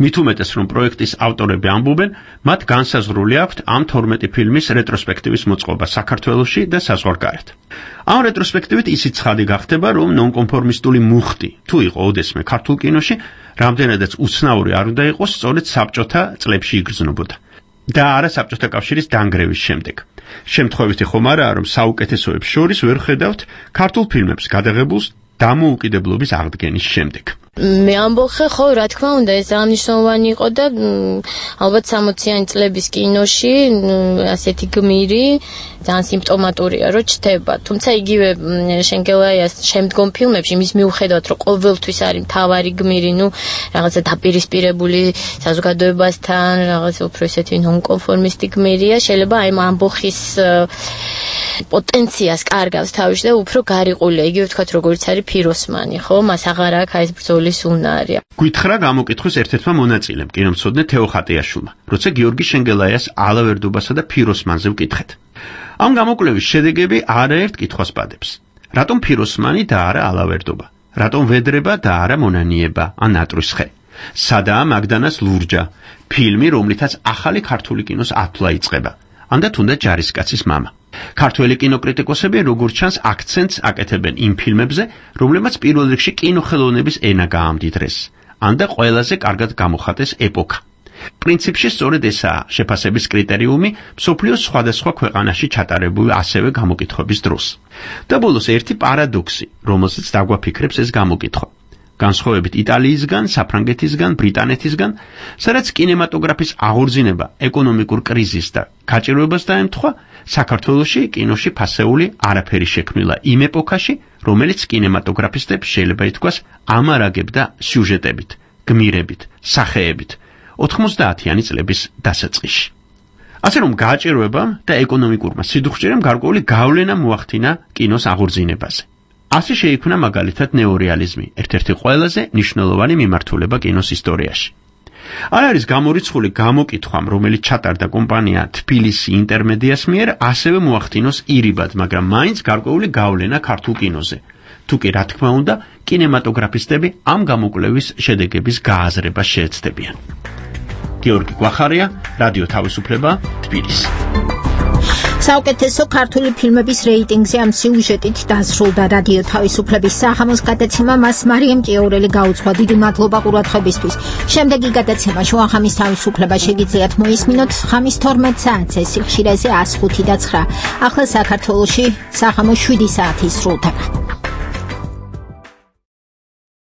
მით უმეტეს, რომ პროექტის ავტორები ამბობენ, მათ განსაზღვრული აქვთ ამ 12 ფილმის რეტროსპექტივის მოწყობა საქართველოში და საზღვარგარეთ. ამ რეტროსპექტივით ისიც ცხადი გახდება, რომ ნონკონფორმისტული მუხტი თუ იყო ოდესმე ქართულ კინოში, რამდენადაც უცნაური არ უნდა იყოს, სწორედ საბჭოთა წლებში იგრძნობოდა და არა საბჭოთა კავშირის დანგრევის შემდეგ. შემთხვევითი ხომ არაა, რომ საუკეთესოებს შორის ვერ ხედავთ ქართულ ფილმებს გადაღებულს დამოუკიდებლობის აღდგენის შემდეგ. მე ამბოხე ხო რა თქმა უნდა ეს აღნიშნულოვანი იყო და ალბათ 60-იანი წლების კინოში ასეთი გმირი ძალიან სიმპტომატურია რომ ჩდება. თუმცა იგივე შენგელაიას შემდგომ ფილმებში მის მიუხედავად რომ ყოველთვის არის მთავარი გმირი, რაღაცა დაპირისპირებული საზოგადოებასთან, რაღაცა უფრო ესეთი ნონკონფორმისტი გმირია, შეიძლება აი ამბოხის პოტენციას კარგავს თავში და უფრო გარიყულია, იგივე ვთქვათ როგორც არის ფიროსმანი, ხო? მას აღარ აქვს აი ეს ბრძოლის უნარი. გითხრა გამოკითხვის ერთ-ერთმა მონაწილემ, კინომცოდნე თეო ხატიაშვილმა, როცა გიორგი შენგელაიას ალავერდობასა და ფიროსმანზე ვკითხეთ. ამ გამოკვლევის შედეგები არაერთ კითხვას პადებს. რატომ ფიროსმანი და არა ალავერდობა? რატომ ვედრება და არა მონანიება ან ნატრის ხე? სადაა მაგდანას ლურჯა, ფილმი, რომლითაც ახალი ქართული კინოს ათვლა იწყება. ანდა თუნდაც ჯარისკაცის მამა. ქართველი კინოკრიტიკოსები როგორც ჩანს აქცენტს აკეთებენ იმ ფილმებზე, რომლებმაც პირველ რიგში კინოხელოვნების ენა გაამდიდრეს. ანდა ყველაზე კარგად გამოხატეს ეპოქა. პრინციპში სწორედ ესაა შეფასების კრიტერიუმი მსოფლიოს სხვადასხვა ქვეყანაში ჩატარებული ასევე გამოკითხების დროს. და ბოლოს ერთი პარადოქსი, რომელზეც დაგვაფიქრებს ეს გამოკითხვა. განსხვავებით იტალიისგან, საფრანგეთისგან, ბრიტანეთისგან, სადაც კინემატოგრაფის აღორძინება ეკონომიკურ კრიზისს და გაჭირვებას დაემთხვა, საქართველოში კინოში ფასეული არაფერი შექმნილა იმ ეპოქაში, რომელიც კინემატოგრაფისტებს შეიძლება ითქვას ამარაგებდა სიუჟეტებით, გმირებით, სახეებით 90-იანი წლების დასაწყისში. ასე რომ გაჭირვებამ და ეკონომიკურმა სიდუხჭირემ გარკვეული გავლენა მოახდინა კინოს აღორძინებაზე. ასე შეიქმნა მაგალითად ნეორეალიზმი, ერთ-ერთი ყველაზე მნიშვნელოვანი მიმართულება კინოს ისტორიაში. არ არის გამორიცხული გამოკითხვამ, რომელიც ჩატარდა კომპანია თბილისი ინტერმედიას მიერ, ასევე მოახდინოს ირიბად, მაგრამ მაინც გარკვეული გავლენა ქართულ კინოზე. თუკი რა თქმა უნდა, კინემატოგრაფისტები ამ გამოკვლევის შედეგების გააზრებას შეეცდებიან. გიორგი გვახარია, რადიო თავისუფლება, თბილისი. საუკეთესო ქართული ფილმების რეიტინგზე ამ სიუჟეტით დასრულდა რადიო თავისუფლების საღამოს გადაცემა. მას მარიამ ჭიაურელი გაუძღვა. დიდი მადლობა ყურადღებისთვის. შემდეგი გადაცემა შუახამის თავისუფლება შეგიძლიათ მოისმინოთ ხამის 12 საათზე სიხშირეზე 105 და 9. ახლა საქართველოში საღამოს 7 საათი სრულდება.